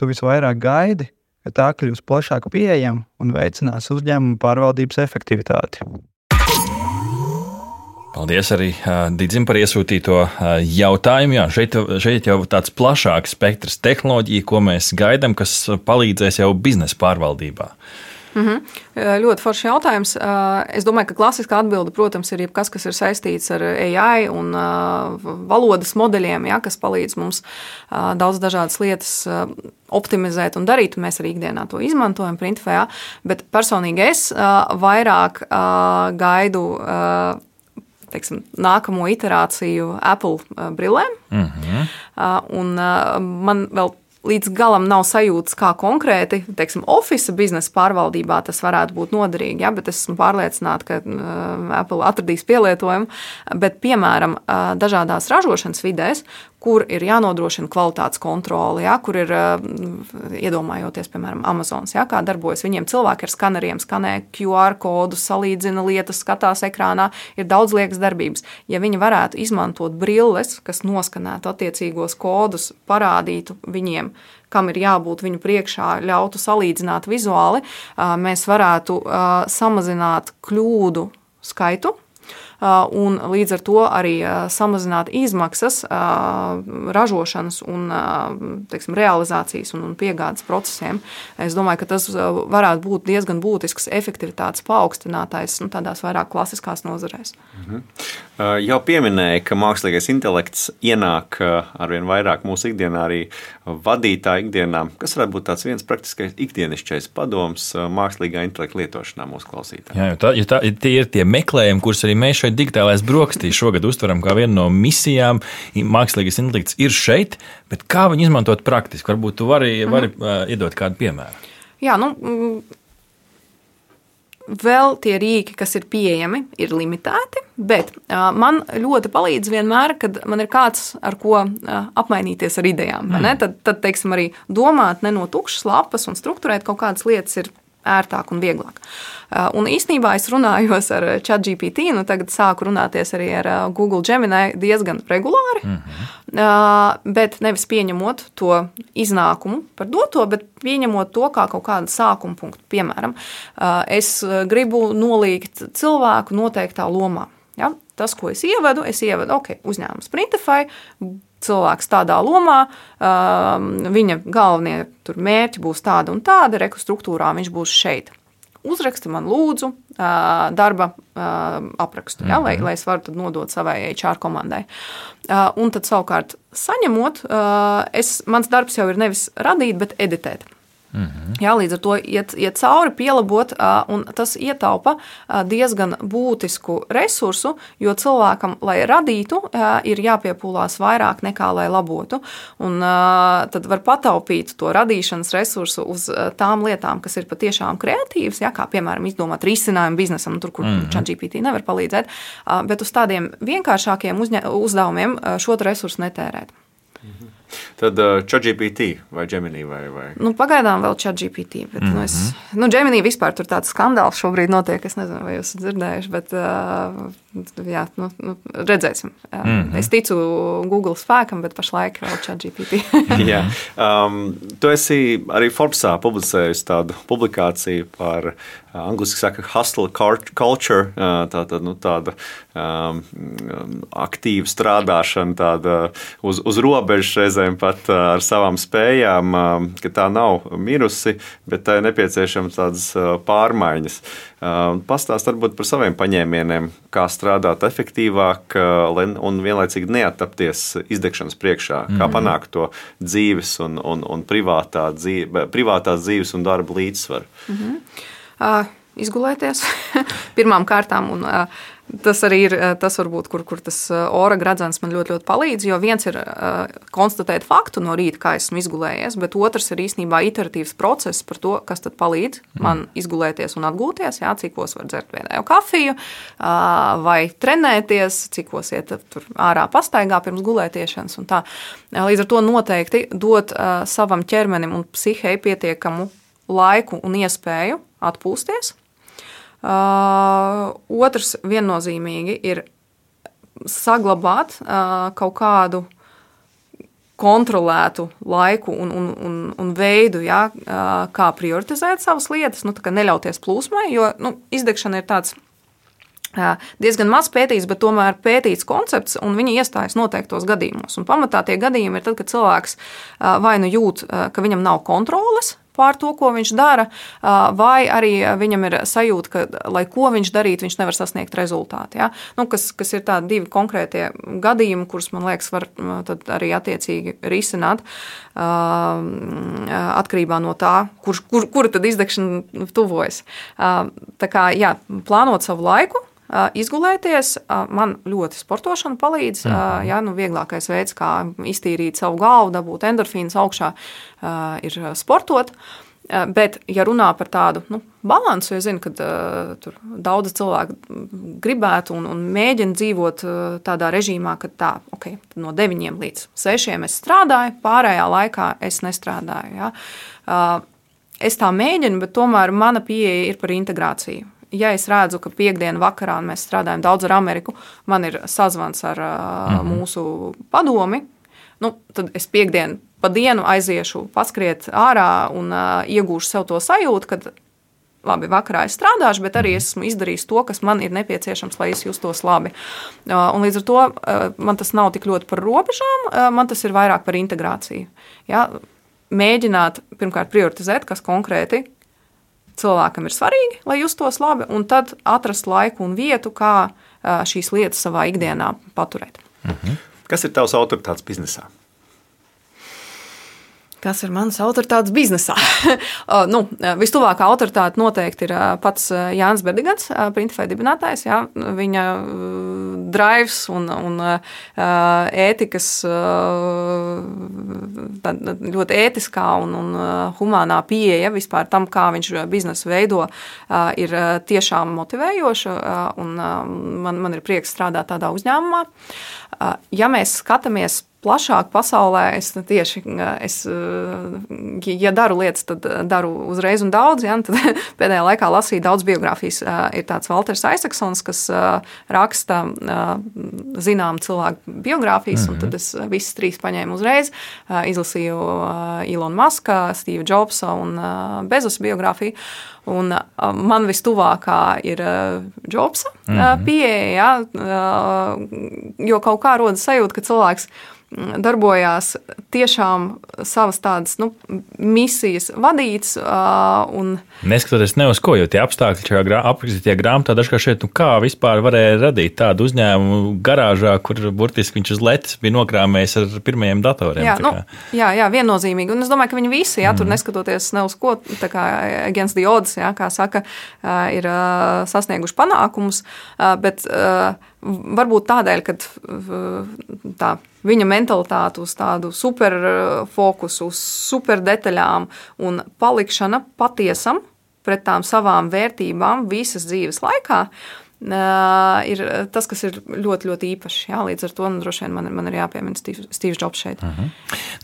Speaker 7: tu visvairāk gaidi, ka tā kļūs plašāk pieejama un veicinās uzņēmumu pārvaldības efektivitāti?
Speaker 4: Paldies arī Didzim par iesūtīto jautājumu. Jā, šeit jau tāds plašāks spektrs tehnoloģiju, ko mēs gaidām, kas palīdzēs jau biznesa pārvaldībā.
Speaker 5: Ļoti foršs jautājums. Es domāju, ka klasiskā atbilde, protams, ir jebkas, kas ir saistīts ar AI un valodas modeļiem, ja, kas palīdz mums daudz dažādas lietas optimizēt un darīt. Mēs arī ikdienā to izmantojam Printify, bet personīgi es vairāk gaidu nākamo iterāciju Apple brillēm. Un man vēl līdz galam nav sajūtas, kā konkrēti, Office biznesa pārvaldībā tas varētu būt noderīgi, ja, bet es esmu pārliecināta, ka Apple atradīs pielietojumu, bet, piemēram, dažādās ražošanas vidēs, kur ir jānodrošina kvalitātes kontrole, ja, kur ir, iedomājoties, piemēram, Amazons, ja, kā darbojas. Viņiem cilvēki ar skaneriem skanē QR kodus, salīdzina lietas, skatās ekrānā, ir daudz liekas darbības. Ja viņi varētu izmantot brilles, kas noskanētu attiecīgos kodus, parādītu viņiem, kam ir jābūt viņu priekšā, ļautu salīdzināt vizuāli, mēs varētu samazināt kļūdu skaitu, un līdz ar to arī samazināt izmaksas ražošanas un realizācijas un piegādes procesiem. Es domāju, ka tas varētu būt diezgan būtisks efektivitātes paaugstinātājs tādās vairāk klasiskās nozarēs.
Speaker 3: Jau pieminēja, ka mākslīgais intelekts ienāk arvien vairāk mūsu ikdienā, arī vadītāja ikdienā. Kas varētu būt tāds viens praktiskais ikdienišķais padoms mākslīgā intelekta lietošanā mūsu klausītājiem?
Speaker 4: Jā, tie ir tie meklējumi, kurus arī mēs šeit digitālais brokastīs šogad uztveram kā vienu no misijām. Mākslīgais intelekts ir šeit, bet kā viņu izmantot praktiski? Varbūt tu vari iedot kādu piemēru.
Speaker 5: Jā, vēl tie rīki, kas ir pieejami, ir limitēti, bet man ļoti palīdz vienmēr, kad man ir kāds, ar ko apmainīties ar idejām. Tad teiksim, arī domāt ne no tukšas lapas un strukturēt kaut kādas lietas ir ērtāk un vieglāk. Un īstenībā es runājos ar ChatGPT, tagad sāku runāties arī ar Google Gemini diezgan regulāri, bet nevis pieņemot to iznākumu par doto, bet pieņemot to kā kaut kādu sākuma punktu. Piemēram, es gribu nolikt cilvēku noteiktā lomā. Ja? Tas, ko es ievedu, uzņēmums Printify, cilvēks tādā lomā, viņa galvenie mērķi būs tāda un tāda, struktūrā viņš būs šeit. Uzraksti man lūdzu darba aprakstu, ja, lai es varu tad nodot savai HR komandai. Un tad savukārt saņemot, mans darbs jau ir nevis radīt, bet editēt. Jā, līdz ar to iet cauri, pielabot, un tas ietaupa diezgan būtisku resursu, jo cilvēkam, lai radītu, ir jāpiepūlās vairāk nekā lai labotu. Un tad var pataupīt to radīšanas resursu uz tām lietām, kas ir patiešām kreatīvas, ja, kā piemēram izdomāt risinājumu biznesam, tur, kur ChatGPT nevar palīdzēt, bet uz tādiem vienkāršākiem uzdevumiem šo resursu netērēt.
Speaker 3: Tad ChatGPT vai Gemini vai?
Speaker 5: Pagaidām vēl ChatGPT, bet Gemini vispār tur tāds skandāls šobrīd notiek, es nezinu, vai jūs dzirdējuši, bet jā, redzēsim. Es ticu Google spēkam, bet pašlaik vēl ChatGPT.
Speaker 3: Jā. Tu esi arī Forbesā publicējusi tādu publikāciju par angliski saka hustle culture, tāda aktīva strādāšana, tāda uz robežas reizēm pat ar savām spējām, ka tā nav mirusi, bet tā ir nepieciešama tādas pārmaiņas. Pastāst varbūt par saviem paņēmieniem, kā strādāt efektīvāk un vienlaicīgi neattapties izdegšanas priekšā, kā panākt to dzīves un privātās dzīves un darba līdzsvaru.
Speaker 5: izgulēties pirmām kārtām. Un, tas arī ir tas, varbūt, kur tas ora gradzens man ļoti, ļoti palīdz. Jo viens ir konstatēt faktu no rīta, kā esmu izgulējies, bet otrs ir īstenībā iteratīvs process par to, kas tad palīdz man izgulēties un atgūties. Jā, cikos var dzert vienējo kafiju vai trenēties, cikos iet tur ārā pastaigā pirms gulētiešanas. Un tā. Līdz ar to noteikti dot savam ķermenim un psihei pietiekamu laiku un iespēju atpūsties. Otrs viennozīmīgi ir saglabāt kaut kādu kontrolētu laiku un veidu, ja, kā prioritizēt savas lietas, tā kā neļauties plūsmai, jo izdegšana ir tāds diezgan maz pētīts, bet tomēr pētīts koncepts, un viņi iestājas noteiktos gadījumos. Un pamatā tie gadījumi ir tad, kad cilvēks vai nu jūt, ka viņam nav kontroles pār to, ko viņš dara, vai arī viņam ir sajūta, ka, lai ko viņš darītu, viņš nevar sasniegt rezultātu. Ja? Kas ir tādi divi konkrētie gadījumi, kurus, man liekas, var tad arī attiecīgi risināt atkarībā no tā, kura tad izdegšana tuvojas. Tā kā, jā, plānot savu laiku, izgulēties, man ļoti sportošana palīdz. Jā, vieglākais veids, kā iztīrīt savu galvu, dabūt endorfīnus augšā, ir sportot. Bet, ja runā par tādu balansu, es zinu, ka tur daudzi cilvēki gribētu un mēģina dzīvot tādā režīmā, ka tā, okay, no 9 līdz 6 es strādāju, pārējā laikā es nestrādāju. Ja? Es tā mēģinu, bet tomēr mana pieeja ir par integrāciju. Ja es redzu, ka piekdienu vakarā mēs strādājam daudz ar Ameriku, man ir sazvans ar mūsu padomi, tad es piekdienu pa dienu aiziešu paskriet ārā un iegūšu sev to sajūtu, ka labi, vakarā es strādāšu, bet arī esmu izdarījis to, kas man ir nepieciešams, lai es justos labi. Un līdz ar to man tas nav tik ļoti par robežām, man tas ir vairāk par integrāciju. Ja? Mēģināt pirmkārt prioritizēt, kas konkrēti cilvēkam ir svarīgi, lai justos labi, un tad atrast laiku un vietu, kā šīs lietas savā ikdienā paturēt.
Speaker 3: Kas ir tavs autoritātes biznesā?
Speaker 5: Kas ir mans autoritātes biznesā? Vistuvākā autoritāte noteikti ir pats Jānis Berdigants, Printify dibinātājs. Jā. Viņa drives un ētikas, ļoti ētiskā un humānā pieeja vispār tam, kā viņš biznesu veido, ir tiešām motivējoša, un man ir prieks strādāt tādā uzņēmumā. Ja mēs skatāmies plašāk pasaulē, ja daru lietas, tad daru uzreiz un daudz. Ja, tad pēdējā laikā lasīju daudz biogrāfijas. Ir tāds Walters Isaacsons, kas raksta zinām cilvēku biogrāfijas, un tad es visas 3 paņēmu uzreiz. Izlasīju Elon Muska, Steve Jobsa un Bezos biogrāfiju. Un man vistuvākā ir Jobsa pieeja, jo kaut kā rodas sajūta, ka cilvēks darbojās tiešām savas tādas misijas vadīts.
Speaker 4: Neskatoties ne uz ko, jo tie apstākļi šajā aprakstītajā grāmatā dažkārt šeit, kā vispār varēja radīt tādu uzņēmumu garāžā, kur burtiski viņš uz letes bija nokrāmējis ar pirmajiem datoriem.
Speaker 5: Jā, viennozīmīgi. Un es domāju, ka viņi visi, tur neskatoties ne uz ko, tā kā against the odds, kā saka, ir sasnieguši panākumus, bet varbūt tādēļ, ka tā viņa mentalitāte uz tādu superfokusu, uz superdetaļām un palikšana patiesam pret tām savām vērtībām visas dzīves laikā ir tas, kas ir ļoti, ļoti īpašs. Jā, līdz ar to droši vien man ir jāpiemina Steve Jobs šeit.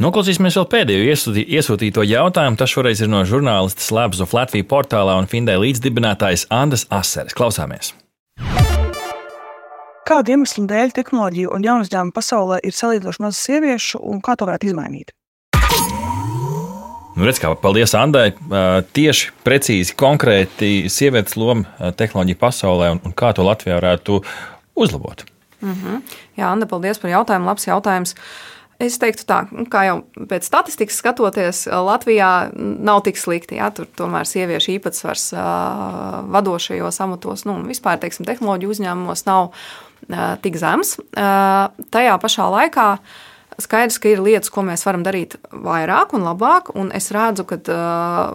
Speaker 4: Noklausīsimies vēl pēdējo iesūtīto jautājumu. Tas šoreiz ir no žurnālistas Labs of Latvija portālā un Findē līdzdibinātājs Andas Aseres. Klausāmies!
Speaker 8: Kādu iemeslu dēļ tehnoloģiju un jaunu uzņēmumu pasaulē ir salīdzinoši maz sieviešu un kā to varētu izmainīt?
Speaker 4: Paldies Andai. Tieši precīzi, konkrēti sievietes loma tehnoloģiju pasaulē un kā to Latvijā varētu uzlabot.
Speaker 5: Jā, Anda, paldies par jautājumu. Labs jautājums. Es teiktu tā, kā jau pēc statistikas skatoties, Latvijā nav tik slikti. Jā, tur tomēr sieviešu īpatsvars vadošajos amatos, vispār, tehnoloģiju uzņēmumos nav tik zems. Tajā pašā laikā Skaidrs, ka ir lietas, ko mēs varam darīt vairāk un labāk, un es redzu, ka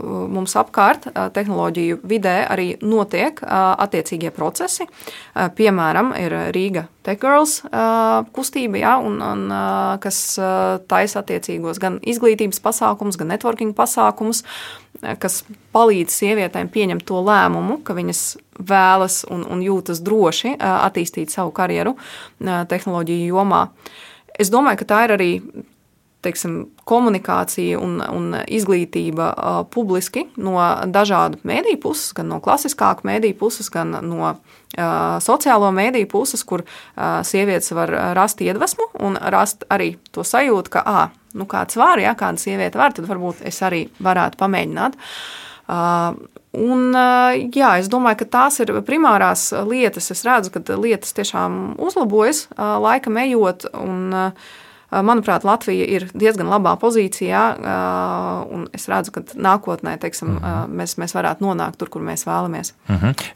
Speaker 5: mums apkārt tehnoloģiju vidē arī notiek attiecīgie procesi. Piemēram, ir Rīga Tech Girls kustība, ja, un kas taisa attiecīgos gan izglītības pasākumus, gan networking pasākumus, kas palīdz sievietēm pieņemt to lēmumu, ka viņas vēlas un jūtas droši attīstīt savu karjeru tehnoloģiju jomā. Es domāju, ka tā ir arī komunikācija un izglītība publiski no dažādu mēdīju puses, gan no klasiskāku mēdīju puses, gan no sociālo mēdīju puses, kur sievietes var rast iedvesmu un rast arī to sajūtu, ka kāds var, ja kāda sieviete var, tad varbūt es arī varētu pamēģināt. Es domāju, ka tās ir primārās lietas. Es redzu, ka lietas tiešām uzlabojas laikam ejot, un manuprāt, Latvija ir diezgan labā pozīcijā, un es redzu, ka nākotnē, mēs varētu nonākt tur, kur mēs vēlamies.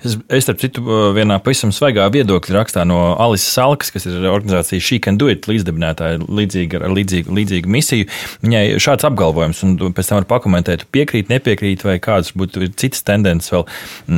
Speaker 4: Es, starp citu, vienā pavisam svaigā viedokļa rakstā no Alises Salkas, kas ir organizācija She Can Do It līdzdibinātāja ar līdzīgu misiju, viņai šāds apgalvojums, un pēc tam var pakomentēt, piekrīt, nepiekrīt, vai kādas būtu citas tendences vēl.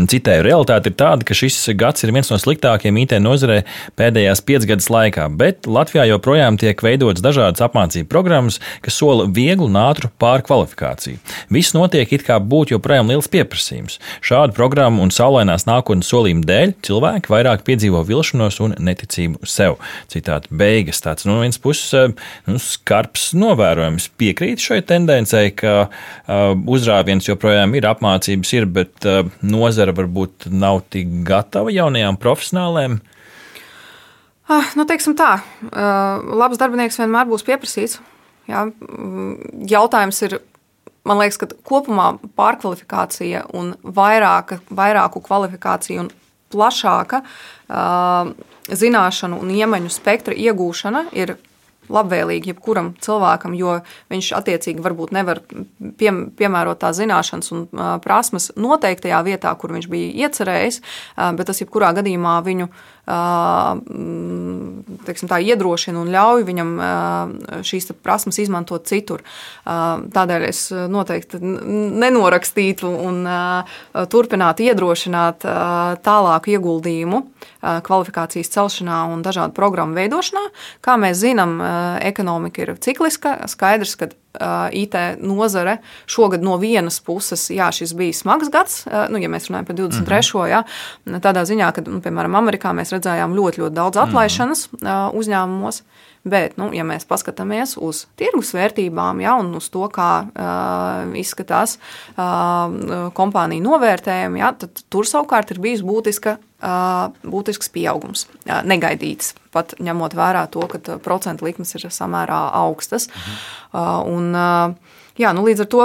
Speaker 4: Citēju, realitāte ir tāda, ka šis gads ir viens no sliktākiem IT nozarē pēdējās 5 gadus laikā, bet Latvijā joprojām tiek veidots dažādas apmācību programmas, kas sola vieglu un ātru pārkvalifikāciju. Viss notiek it kā būtu joprojām liels pieprasījums. Šādu programmu un saulainās nākotnes solījumu dēļ cilvēki vairāk piedzīvo vilšanos un neticību sev. Citāta beigas. Tāds no vienas puses skarbs novērojums. Piekrīt šai tendencei, ka uzrāviens joprojām ir, apmācības ir, bet nozara varbūt nav tik gatava jaunajām profesionālēm.
Speaker 5: Teiksim tā, labs darbinieks vienmēr būs pieprasīts. Jā. Jautājums ir, man liekas, ka kopumā pārkvalifikācija un vairāku kvalifikāciju un plašāka zināšanu un iemaņu spektra iegūšana ir labvēlīgi jebkuram cilvēkam, jo viņš attiecīgi varbūt nevar piemērot tās zināšanas un prasmes noteiktajā vietā, kur viņš bija iecerējis, bet tas jebkurā gadījumā viņu iedrošina un ļauj viņam šīs prasmes izmantot citur. Tādēļ es noteikti nenorakstītu un turpinātu iedrošināt tālāku ieguldījumu kvalifikācijas celšanā un dažādu programmu veidošanā. Kā mēs zinām, ekonomika ir cikliska, skaidrs, ka IT nozare šogad no vienas puses, šis bija smags gads, ja mēs runājam par 23. Tādā ziņā, ka, piemēram, Amerikā mēs redzējām ļoti, ļoti daudz atlaišanas uzņēmumos, bet, ja mēs paskatāmies uz tirgus vērtībām, un uz to, kā izskatās kompāniju novērtējumi, tad tur savukārt ir bijis būtisks pieaugums, negaidīts, pat ņemot vērā to, ka procentu likmes ir samērā augstas. Līdz ar to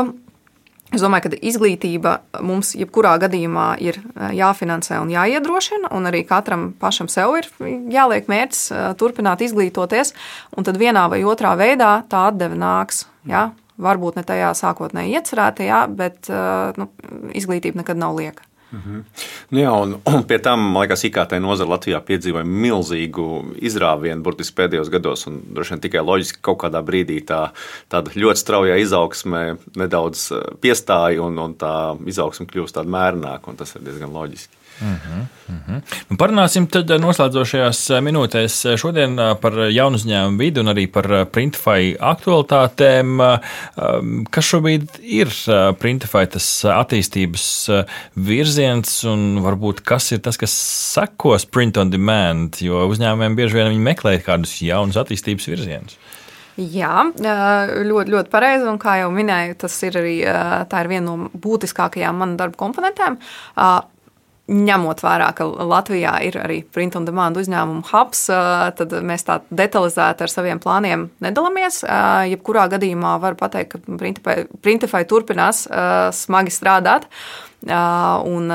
Speaker 5: es domāju, ka izglītība mums jebkurā gadījumā ir jāfinansē un jāiedrošina, un arī katram pašam sev ir jāliek mērķis turpināt izglītoties, un tad vienā vai otrā veidā tā atdeve nāks. Varbūt ne tajā sākotnēji iecerētajā, bet izglītība nekad nav lieka.
Speaker 3: Un pie tam, man liekas, IKT nozara Latvijā piedzīvoja milzīgu izrāvienu burtiski pēdējos gados, un droši vien tikai loģiski kaut kādā brīdī tāda ļoti straujā izaugsme nedaudz piestāja, un tā izaugsme kļūst tāda mērnāka, un tas ir diezgan loģiski.
Speaker 4: Parunāsim tad noslēdzošajās minūtēs šodien par jaunu uzņēmumu vidi un arī par Printify aktualitātēm. Kas šobrīd ir Printify tas attīstības virziens un varbūt kas ir tas, kas sekos print on demand, jo uzņēmumiem bieži vien viņi meklē kādus jaunus attīstības virzienus?
Speaker 5: Jā, ļoti, ļoti pareizi, un kā jau minēju, tā ir viena no būtiskākajām manu darba komponentēm. Ņemot vērā, ka Latvijā ir arī print on demand uzņēmumu hubs, tad mēs tā detalizēti ar saviem plāniem nedalāmies. Jebkurā gadījumā var pateikt, ka Printify turpinās smagi strādāt un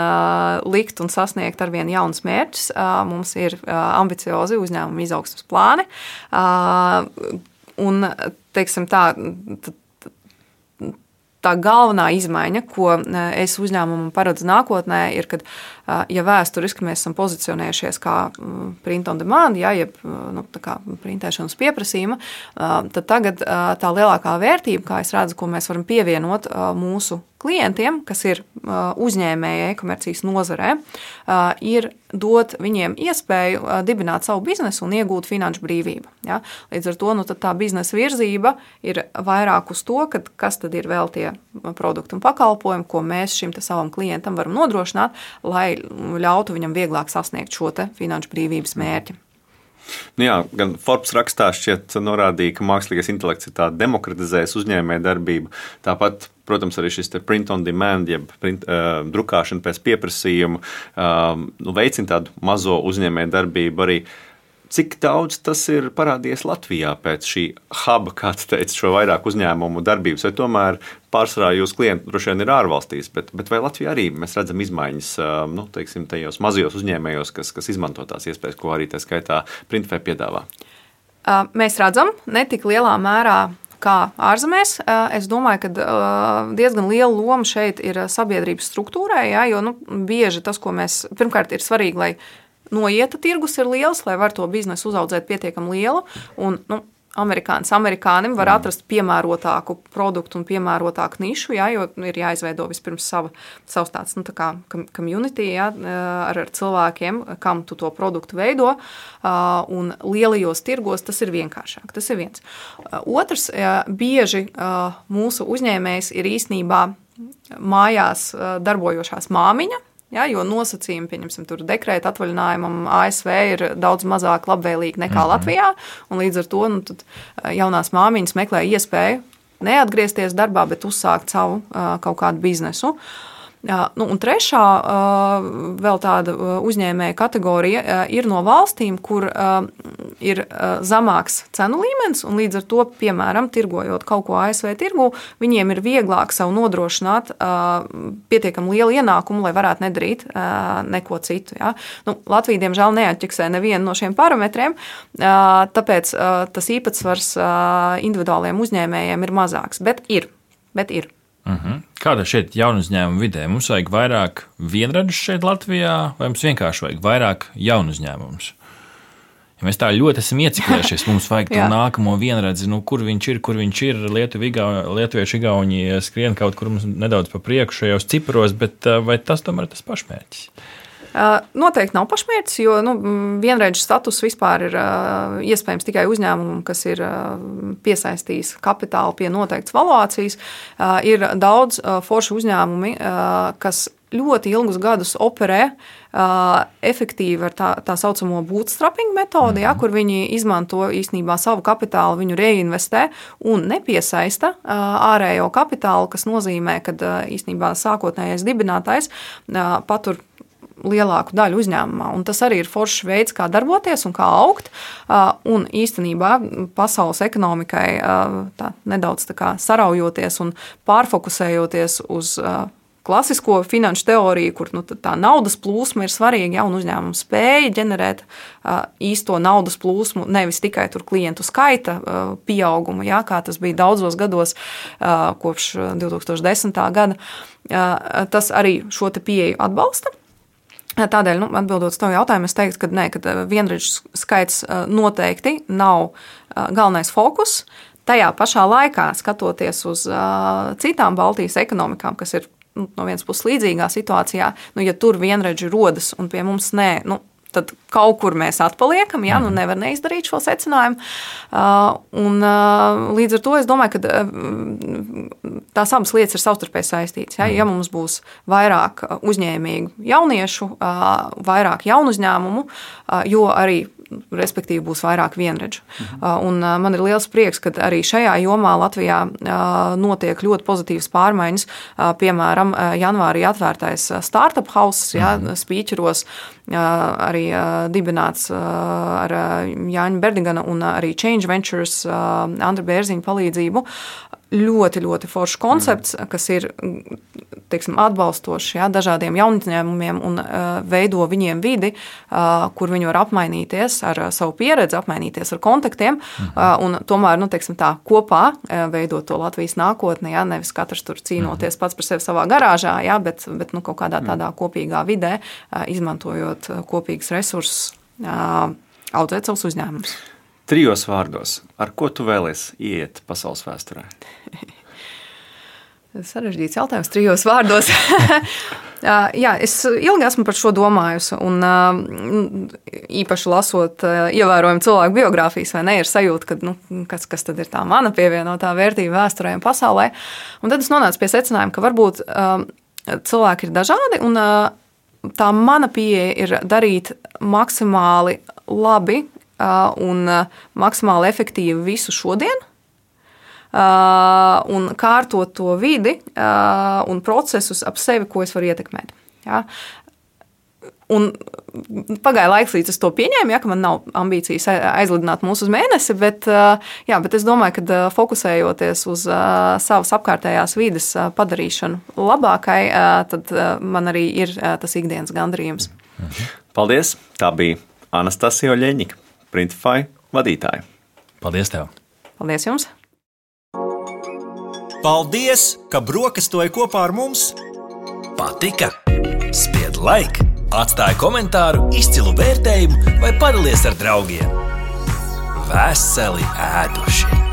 Speaker 5: likt un sasniegt arvien jaunus mērķus. Mums ir ambiciozi uzņēmumu izaugsmes plāni. Un, teiksim tā tā galvenā izmaiņa, ko es uzņēmumam paredzu nākotnē, ir, kad, ja vēsturiski mēs esam pozicionējušies kā print on demand, jeb tā kā printēšanas pieprasījuma, tad tagad tā lielākā vērtība, kā es redzu, ko mēs varam pievienot mūsu klientiem, kas ir uzņēmēji e-komercijas nozarē, ir dot viņiem iespēju dibināt savu biznesu un iegūt finanšu brīvību. Ja? Līdz ar to tā biznesa virzība ir vairāk uz to, kas tad ir vēl tie produkti un pakalpojumi, ko mēs šim savam klientam varam nodrošināt, lai ļautu viņam vieglāk sasniegt šo finanšu brīvības mērķi.
Speaker 3: Jā, gan Forbes rakstā šķiet norādīja, ka mākslīgais intelekts ir tā demokratizējis uzņēmēju darbību. Tāpat, protams, arī šis print on demand, jeb drukāšana pēc pieprasījuma, veicina tādu mazo uzņēmēju darbību arī. Cik daudz tas ir parādījies Latvijā pēc šī huba, kā tu teici, šo vairāk uzņēmumu darbības, vai tomēr pārsvarā jūsu klienti droši vien ir ārvalstīs, bet vai Latvijā arī mēs redzam izmaiņas, teiksim, tajos mazajos uzņēmējos, kas izmanto tās iespējas, ko arī tā skaitā Printfē piedāvā?
Speaker 5: Mēs redzam, ne tik lielā mērā kā ārzemēs. Es domāju, ka diezgan liela loma šeit ir sabiedrības struktūrai, ja, jo bieži tas, ko mēs, pirmkārt, ir svarīgi, lai noieta tirgus ir liels, lai var to biznesu uzaudzēt pietiekami lielu, un amerikānim var atrast piemērotāku produktu un piemērotāku nišu, ja, jo ir jāizveido vispirms savs tāds, tā kā community, ja, ar cilvēkiem, kam tu to produktu veido, un lielajos tirgos tas ir vienkāršāk. Tas ir viens. Otrs, bieži mūsu uzņēmējs ir īstenībā mājās darbojošās māmiņa, ja, jo nosacījumi, pieņemsim, tur dekrēta atvaļinājumam ASV ir daudz mazāk labvēlīgi nekā Latvijā, un līdz ar to tad jaunās māmiņas meklē iespēju neatgriezties darbā, bet uzsākt savu kaut kādu biznesu. Un trešā vēl tāda uzņēmēja kategorija ir no valstīm, kur ir zemāks cenu līmenis, un līdz ar to, piemēram, tirgojot kaut ko ASV tirgu, viņiem ir vieglāk sev nodrošināt pietiekami lielu ienākumu, lai varētu nedarīt neko citu. Ja? Latvija, diemžēl, neatķeksē nevienu no šiem parametriem, tāpēc tas īpatsvars individuāliem uzņēmējiem ir mazāks, bet ir.
Speaker 4: Kāda šeit jaunu uzņēmumu vidē? Mums vajag vairāk vienradžu šeit Latvijā, vai mums vienkārši vajag vairāk jaunu uzņēmumus? Ja mēs tā ļoti esam ieciklējušies, mums vajag to nākamo vienradzi, kur viņš ir, lietuvieši, igauni skrien kaut kur nedaudz pa priekšu šajos ciparos, bet vai tas tomēr ir tas pašmērķis?
Speaker 5: Noteikti nav pašmērķis, jo vienreidžu status vispār ir iespējams tikai uzņēmumam, kas ir piesaistījis kapitālu pie noteiktas valuācijas. Ir daudz foršu uzņēmumi, kas ļoti ilgus gadus operē efektīvi ar tā saucamo bootstrapping metodi, ja, kur viņi izmanto īstenībā savu kapitālu, viņu reinvestē un nepiesaista ārējo kapitālu, kas nozīmē, ka īstenībā sākotnējais dibinātājs patur lielāku daļu uzņēmumā. Un tas arī ir foršs veids, kā darboties un kā augt. Un īstenībā pasaules ekonomikai tā nedaudz tā kā saraujoties un pārfokusējoties uz klasisko finanšu teoriju, kur tā naudas plūsma ir svarīga, ja, un uzņēmums spēja ģenerēt īsto naudas plūsmu, nevis tikai tur klientu skaita pieaugumu, ja, kā tas bija daudzos gados kopš 2010. Gada. Tas arī šo te pieeju atbalsta. Tādēļ, atbildot uz tavu jautājumu, es teiktu, ka vienreidžu skaits noteikti nav galvenais fokus. Tajā pašā laikā, skatoties uz citām Baltijas ekonomikām, kas ir no vienas puses līdzīgā situācijā, ja tur vienreidži rodas un pie mums nē, tad kaut kur mēs atpaliekam, ja, nevar neizdarīt šo secinājumu. Un līdz ar to es domāju, ka tās abas lietas ir savstarpēji saistītas. Ja mums būs vairāk uzņēmīgu jauniešu, vairāk jaunu uzņēmumu, jo arī respektīvi būs vairāk vienredžu. Un man ir liels prieks, ka arī šajā jomā Latvijā notiek ļoti pozitīvas pārmaiņas. Piemēram, janvārī atvērtais Startup House, ja, Spīķeros, arī dibināts ar Jāņa Berdigana un arī Change Ventures Andra Bērziņa palīdzību. ļoti, ļoti foršs koncepts, kas ir teiksim, atbalstošs dažādiem jaunuzņēmumiem un veido viņiem vidi, kur viņi var apmainīties ar savu pieredzi, apmainīties ar kontaktiem un tomēr teiksim, tā, kopā veidot to Latvijas nākotni. Nevis katrs tur cīnoties pats par sevi savā garāžā, bet kaut kādā tādā kopīgā vidē, izmantojot kopīgus resursus, audzēt savus uzņēmumus.
Speaker 3: 3 vārdos, ar ko tu vēlies iet pasaules vēsturē?
Speaker 5: Sarežģīts jautājums 3 vārdos. Jā, es ilgi esmu par šo domājusi, un īpaši lasot ievērojami cilvēku biogrāfijas, vai ne, ir sajūta, ka kas tad ir tā mana pievienotā vērtība vēsturē un pasaulē. Un tad es nonācu pie secinājuma, ka varbūt cilvēki ir dažādi, un tā mana pieeja ir darīt maksimāli labi un maksimāli efektīvi visu šodien un kārtot to vidi un procesus ap sevi, ko es varu ietekmēt. Ja? Un pagāja laiks, līdz es to pieņēmu, ka man nav ambīcijas aizlidināt mūs uz mēnesi, bet es domāju, ka fokusējoties uz savas apkārtējās vides padarīšanu labākai, tad man arī ir tas ikdienas gandarījums.
Speaker 3: Paldies! Tā bija Anastasija Oļeņika, Printify vadītāja.
Speaker 4: Paldies tev!
Speaker 5: Paldies jums!
Speaker 2: Paldies, ka brokastoji kopā ar mums!
Speaker 1: Patika? Spied like, atstāj komentāru, izcilu vērtējumu vai padalies ar draugiem. Veseli ēduši!